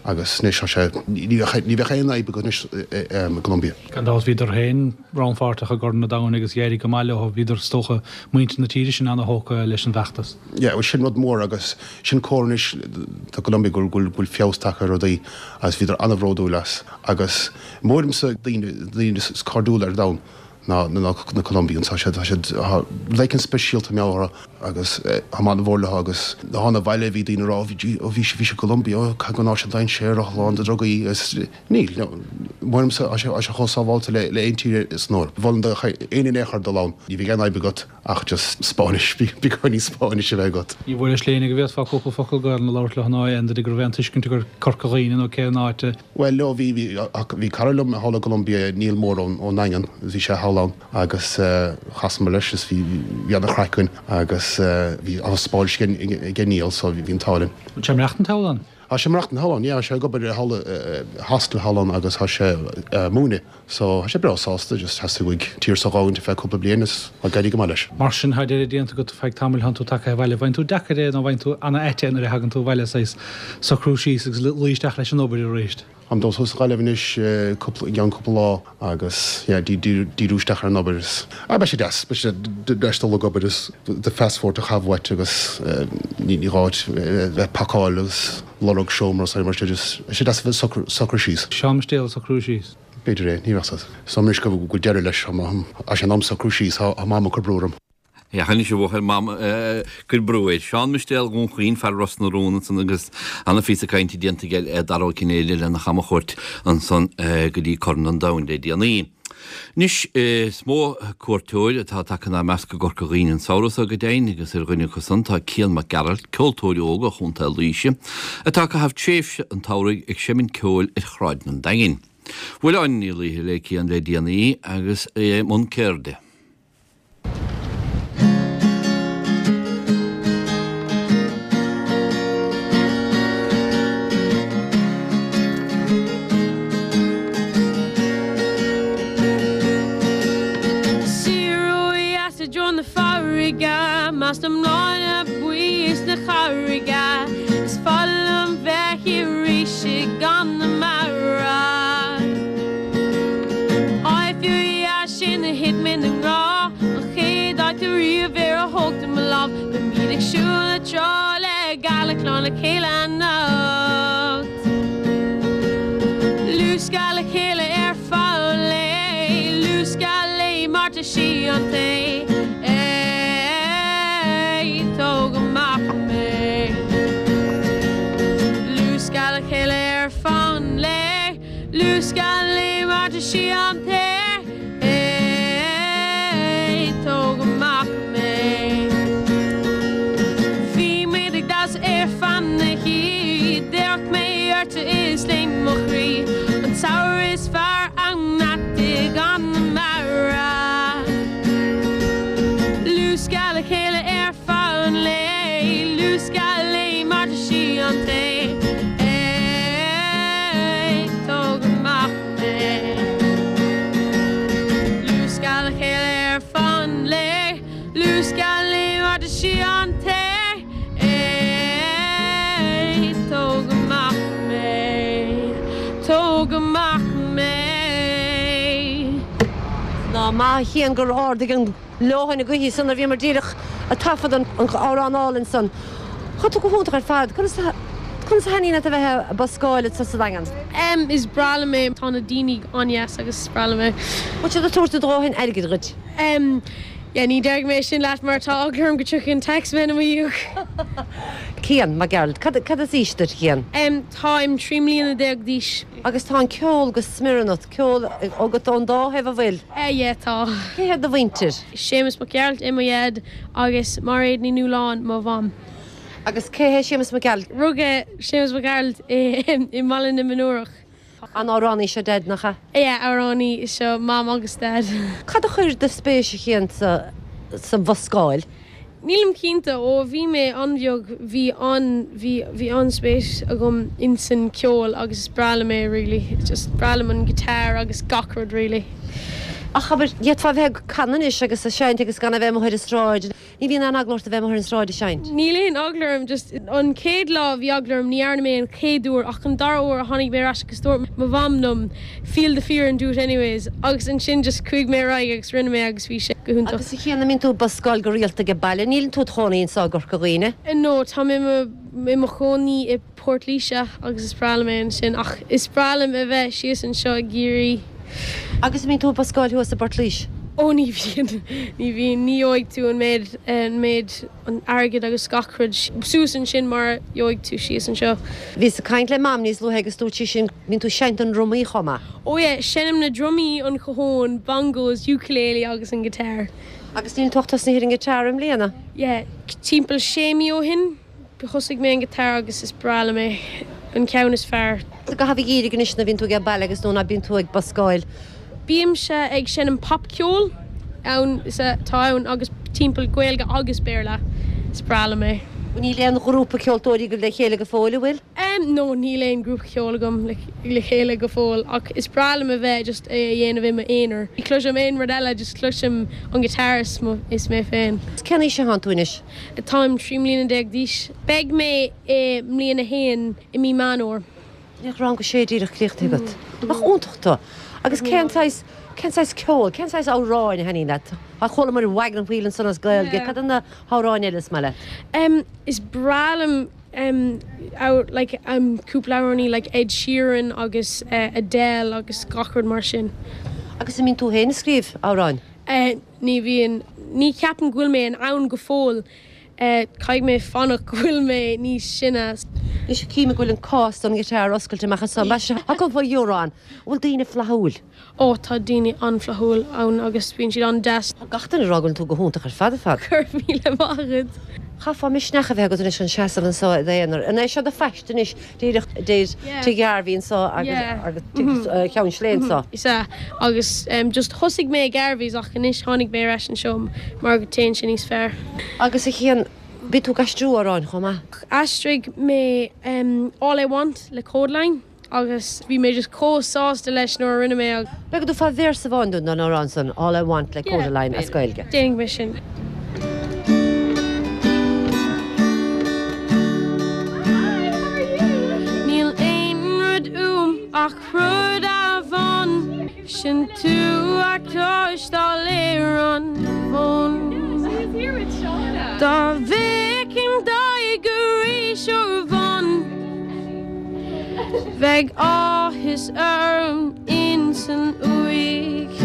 agus anois tá sé ní bheadh ní bheadh aon fhadhb agat anois i gColombia. Gan dabht bhíodar féin rannpháirteach i gCorn an Domhain agus d'éirigh go maith leo. Bhíodar is dócha muintir na tíre sin ana-thógtha leis an bhfeachtas. Yeah bhuel sin rud mór agus sin comhartha anois do Colombia go bhfuil go bhfuil feabhas tagtha ar rudaí agus bhíodar an-bhródúil as agus mórmsa daoine daoine is cairdiúla ar domhan. ná na Colombians. Tá siad, tá siad, tá rud éicint speisialta mar gheall orthu agus tá mé an-mhór leo agus thána abhaile bhí daoine ag rá bhí, ó bhí, bhí sé i gColombia, ó caithfidh go raibh sé dainséarach, lán de drugaí agus níl, no, mórmsa, tá sé, tá sé chomh sábháilte le, le aon tír san Eoraip. Mholfainn do éinne in aon chor dul ann, ní bheidh aon fhadhb agat ach just Spáinnis, beagáinín Spáinnis a bheith agat. Ní bhuaileis le éinne go bhféadfá cúpla focal Gaelainn a labhairt leo ná aon duine go raibh aon tuiscint acu ar Corca Dhuibhne nó cén áit a Bhuel, no, bhí, bhí, bhí cara liom thall i gColombia, Niall Mór ón, ón nDaingean, bhí sé thall ann agus chasamar leis is bhí, bhí an-chraic againn agus bhí an-Spáinnis aige, aige Niall so bhí an t-ádh linn. Bhfuil sé ag maireachtaint thall ann? Tá sé ag maireachtaint thall ann, yeah, tá sé ag obair thall i hostel thall ann agus tá sé ag múineadh. So, tá sé breá sásta, just theastaigh uaidh tír seo a dh'fhágaint ar feadh cúpla bliain is tá ag éirí go maith leis. Mar sin, tá deireadh déanta agat feadh tamaill, tánn tú tagtha abhaile. Bhfaigheann tú deacair é nó bhfaigheann tú ana-ait é nuair a thagann tú abhaile, saghas socrú síos agus luí isteach leis an obair arís? Táim ag dul suas go Gaillimh anois cúpla, i gceann cúpla lá agus yeah, díriú isteach ar an obair is, ah beidh sé deas, beidh sé deas dul ag obair is do phassport a chaitheamh uait agus ní ní gá duit bheith ag pacáil agus lorg seomra is mar sin, just beidh sé deas a bheith socrú síos. Seán Mistéal ag socrú síos. B'fhéidir é, ní bheadh fhios. Is dóigh anois go bhfuil deireadh leis, tá sé in am socrú síos, tá Mam ag cur brú orm. Anois a bhuachaill mam cuir brú air. Seán Mistéal Dhún Chaoin, fear Ros na Rún ansan agus ana-phíosa cainte déanta aige le Dara Ó Cinnéide lena chamchuairt ansan go dtí Corn an Domhain le déanaí. Anois is mó cuairteoir atá tagtha inár measc i gCorca Dhuibhne an samhradh seo go deimhin agus ar dhuine acu san tá Cian Mac Gearailt, ceoltóir óg ó Chontae Laoise, atá ag caitheamh tréimhse an tsamhraidh ag seimint ceoil ar shráideanna an Daingin. Bhuail Áine Ní Laoithe le Cian le déanaí agus é i mbun ceirde. Siar ó dheas i dtreo na farraige, measc na mbláthanna buí is na carraige, is fada liom bheith arís i gConamara. Áit fíordheas sin a thit mé i ngrá, an chéad áit ariamh ar ar thóg tú mo lámh, beimid ag siúl na trá le gealach lán le chéile anocht. Luascadh le chéile ar feadh an lae, luascadh léi mar tá sí an té. Éi, tóg amach mé. Luascadh le chéile ar feadh an lae, luascadh léi mar tá sí an té. Éi, tóg amach mé. Bhí muid ag damhsa ar feadh na hoíche, d'amharc mé uirthi is léim mo chroí, an samhradh is fearr ann i gConamara. Luascadh le chéile ar feadh an lae, luascadh léi mar tá sí an té. Éi, tóg amach mé. Luascadh le chéile ar feadh an lae, luascadh léi mar tá sí an té. Éi, tóg amach mé, tóg amach mé. Ná maith a Chian gur ardaigh an leoithne na gaoithe san a bhíomar díreach ag taifead an amhrán álainn san. Tá tú go hiontach ar fad. Conas a conas a thaitníonn leat a bheith ag buscáil sa sa Daingean? Em, is breá liom é, tá na daoine an-deas agus is breá liom é. Bhfuil siad ag tabhairt a ndóthain airgid dhuit? Em, yeah, ní déarfaidh mé sin leat mar tá eagla orm go dtiocfaidh an taxman i mo dhiaidh. Cian Mac Gearailt, cad cad is aois duit Cian? Em, táim trí mbliana déag d'aois. Agus tá an ceol go smior ionat, ceol agat ón dá thaobh an bhfuil? Eh, yeah, tá. Cé hiad do mhuintir? Séamus Mac Gearailt é mo dhaid agus Mairéad Ní Nualláin mo mham. Agus cé hé Séamus Mac Gearailt? Rugadh Séamus Mac Gearailt i i mBaile na Mionúrach. An amhránaí seo Daid nach ea? Yeah, amhránaí seo mam agus dad. Cad a chuir do spéis a Chian sa sa bhuscáil? Nílim cinnte ó bhí mé an-bheag bhí an bhí bhí an-spéis agam insan ceol agus is breá liom é really. Just breá liom an guitar agus gach rud really. Ach abair, d'fhéadfá bheith ag canadh anois agus ag seinnt agus gan a bheith amuigh ar an sráid. Ní bhíonn aon eagla ort a bheith amuigh ar an sráid ag seinnt? Níl aon eagla orm, just an chéad lá bhí eagla orm, ní dhearna mé an chéad uair ach an dara huair a tháinig mé ar ais agus dúirt mo mham liom feel the fear and do it anyways agus ansin just chuaigh mé ar aghaidh agus rinne mé agus bhí sé go hiontach. Agus a Chian, an mbíonn tú ag buscáil go rialta ag baile? Níl tú i do chónaí anseo i gCorca Dhuibhne? No, tá mé i mo chónaí i Port Laoise agus is breá liom é ansin ach is breá liom a bheith síos anseo i gCiarraí. Agus an mbíonn tú ag buscáil thuas i bPort Laoise? Ó ní bhíonn, ní bhíonn, ní gheobhaidh tú an méid, an méid, an airgead agus gach rud suas ansin mar a gheobhaidh tú síos anseo. Bhíos ag caint le Mam níos luaithe agus dúirt sí sin, bíonn tú ag seinnt na ndrumaí chomh maith. Ó yeah, seinnim na drumaí, an cajón, bongos, ukulele agus an guitar. Agus níl tú ach tosnaithe ar an guitar i mbliana? Yeah, timpeall sé mí ó shin. Thosaigh mé an guitar agus is breá liom é, an ceann is fearr. Sa gcaitheamh an gheimhridh anois nuair a bhíonn tú ag baile agus nó ná bíonn tú ag buscáil? Bímse ag seinm popcheol ann is atá ann agus timpeall Gaeilge agus Béarla. Is breá liom é. Níl aon ghrúpa ceoltóirí agaibh le chéile go fóill, an bhfuil? Em, no, níl aon grúpa ceoil agam le le chéile go fóill ach is breá liom a bheith just é a dhéanamh i m'aonar. Ní chloisim aon rud eile, just cloisim an guitar is mo is mé féin. Cén aois atánn tú anois? Táim trí mbliana déag d'aois. Beidh mé i mbliain a haon i mí Meán Fhómhair. Níl rang a sé díreach críochnaithe agat. Nach iontach tú! Agus cén saghas, cén saghas ceoil, cén saghas amhráin a thaitníonn leat? Tá chualamar Wagon Wheel ansan as Gaeilge, cad iad na hamhráin eile is maith leat? Em, is breá liom em, like, em, cúpla amhránaí like Ed Sheeran agus eh, Adele agus gach rud mar sin. Agus an mbíonn tú féin ag scríobh amhráin? Eh, ní bhíonn, ní cheapaim go bhfuil mé in ann go fóill. Caithfidh mé fanacht go bhfuil mé níos sine. Anois cím go bhfuil an cás don ghiotár oscailte amach anso. Tá cúpla euro ann. An bhfuil daoine flaithiúil? Ó, tá daoine an-fhlaithiúil ann agus bíonn siad an-deas. Tá gach duine ag rá go bhfuil tú go hiontach ar fad ar fad. Go raibh míle maith agat. Chaithfeá misneach a bheith agat anois chun seasamh anso i d'aonar. An é seo do phost anois díreach deir Tigh Gharvey anso agus Tigh Cheann Sléibhe anso? Is ea, agus just thosaigh mé i Garvey's ach anois tháinig mé ar ais anseo mar go dtéann sé níos fearr. Agus a Chian, bíonn tú ag aistriú amhráin chomh maith? Aistrigh mé All I Want le Kodaline agus bhí mé just chomh sásta leis nuair a rinne mé é. B'fhéidir go dtabharfá véarsa amháin dúinn den amhrán san, All I Want le Kodaline as Gaeilge. Déanfaidh mé sin. Níl aon rud uaim ach rud amháin, sin tú a chloisteáil ar an bhfón. Dá bhfeicfinn d'aghaidh arís uair amháin, bheadh áthas orm insan uaigh.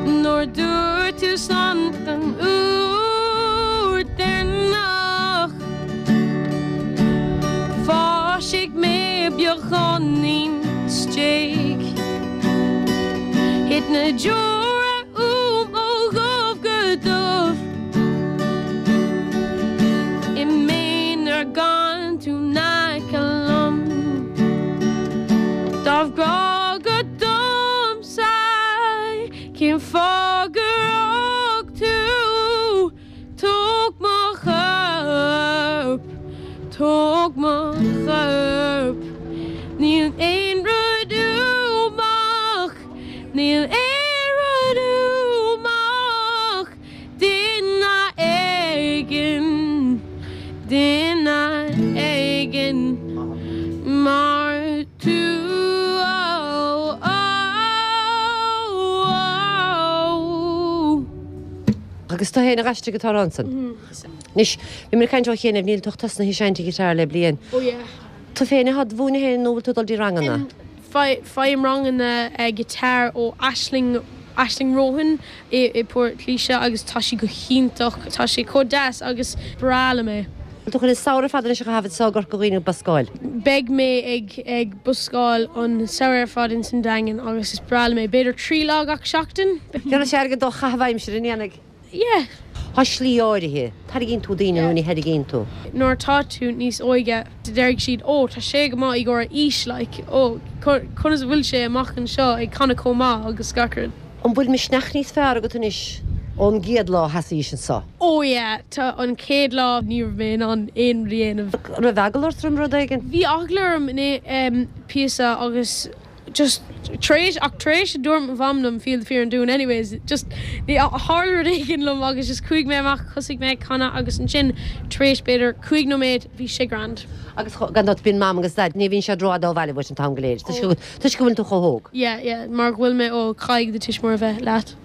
Nuair dúirt tú slán don uair deireanach, Thoisigh mé beagáinín istigh. Thit na deora uaim ó dhubh go dubh I m'aonar gan tú in aice liom. Dá raibh grá agat domsa, cén fáth gur fhág tú? Tóg mo chorp, tóg mo chorp. Níl aon rud uaim ach, níl aon rud uaim ach duine éigin, duine éigin mar tú. Oh, oh, oh. Agus tú féin a d'aistrigh an t-amhrán san. Anois, bhí mé ag caint ó chianaibh, níl tú ach tosnaithe ag seinnt giotár le bliain. Oh yeah. Tú féin atá do mhúineadh féin nó bhfuil tú ag dul dtí ranganna? Faighim ranganna giotár ó Aisling, Aisling Rohan i i Port Laoise agus tá sí go hiontach, tá sé chomh deas agus breá liom é. Bhfuil tú chun an samhradh ar fad anois a chaitheamh anseo i gCorca Dhuibhne ag buscáil? Beidh mé ag ag buscáil an samhradh ar fad ins an Daingean agus is breá liom é, b'fhéidir trí lá gach seachtain. Déanfaidh sé airgead do chaitheamh aimsire, an ndéanfaidh? Yeah. Tá slí áirithe. Tarraingíonn tú daoine nó ní tharraingíonn tú? Nuair atá tú níos óige, déarfaidh siad, 'Ó, tá sé go maith i gcomhair a aois, like, ó, conas a bhfuil sé amach anseo ag canadh chomh maith agus gach rud. An bhfuil misneach níos fearr agat anois ón gcéad lá a sheasaís anseo? Ó yeah, tá an chéad lá ní raibh mé in ann aon rud a dhéanamh. An raibh eagla ort roimh rud éigin? Bhí eagla orm in píosa agus just tar éis ach tar éis a dúirt mo mham liom feel the fear and do it anyways just ní tharla rud éigin liom agus just chuaigh mé amach thosaigh mé ag canadh agus ansin tar éis b'fhéidir cúig nóiméad bhí sé grand. Agus gan dabht bíonn mam agus daid ní bhíonn siad rófhada ó bhaile uait an t-am go léir toisc go toisc go bhfuil tú chomh hóg. Yeah yeah mar go bhfuil mé óg caithfidh do tuismitheoir a bheith leat.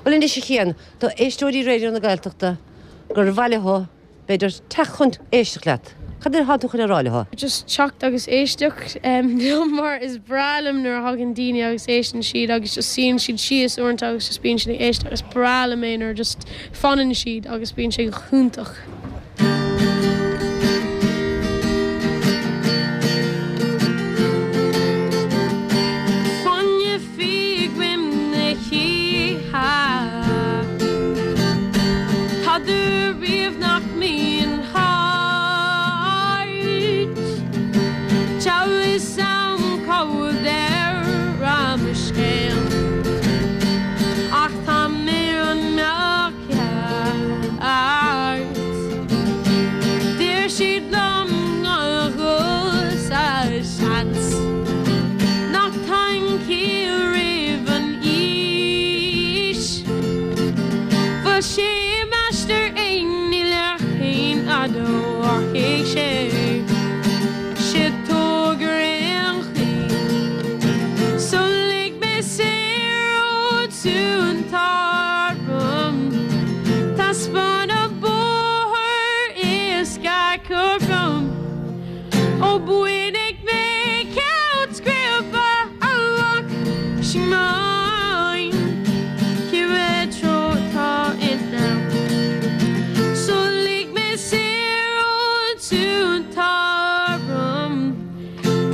Bhuel anois a Chian, do éisteoirí Raidió na Gaeltachta gur mhaith leo b'fhéidir teacht chun éisteacht leat. Cad é atá tú chun a rá leo? Just teacht agus éisteacht liom mar is breá liom nuair a thagann daoine agus éisteann siad agus just suíonn siad síos uaireanta agus just bíonn siad ag éisteacht. Is breá liom é nuair just fanann siad agus bíonn sé go hiontach. Fáinne fí i gcoim na hoíche. Tada riamh nach mbíonn thart. Tá fhios a'm cá bhfuil deireadh mo scéil. Ach tá mé an mbeadh ceart. Deir siad liom gan dhul sa seans. Nach tagann ciall roimh an aois. Bhuel sé m'aistear fhéin níl ach aon fhadó ach sé. Sé tóg ar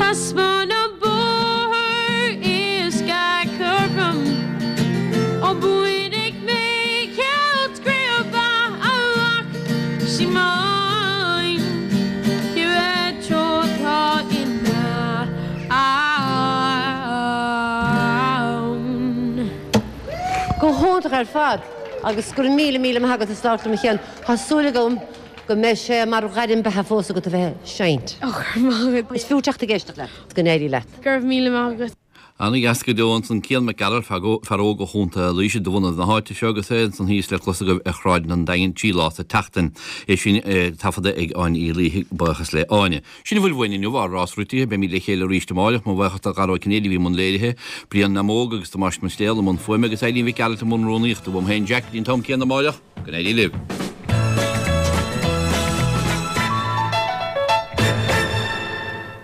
Taispeáin an bóthar éasca cothrom Ó bainfidh mé ceilt craibe amach Síomóin cibé treo atá in ann. Go hiontach ar fad agus go raibh míle míle maith agat as labhairt liom a Chian. Tá súil agam go mbeidh sé mar ghairm beatha fós agat a bheith ag seinnt. Ó, go raibh maith agat. Is fiú teacht ag éisteacht leat. Go n-éirí leat. Go raibh míle maith agat. Ana-dheas go deo ansan Cian Mac Gearailt, fear óg ó Chontae Laoise de bhunadh na háite seo agus é ansan thíos le clos agaibh ar Shráid an Daingin trí lá sa tseachtain. É sin taifeadta ag Áine Uí Laoithe, buíochas le Áine. Sin a bhfuil uainn inniu, ár rás rite. Beimid le chéile arís amáireach. Mo bhuíochas do Dhara Ó Cinnéide a bhí i mbun léirithe, Brian Namóg agus Tomás Mistéal i mbun fuaime agus Eileen Mhic Gearailt i mbun rúnaíochta. Uaim féin Jack go dtí an t-am céanna amáireach, go n-éirí libh.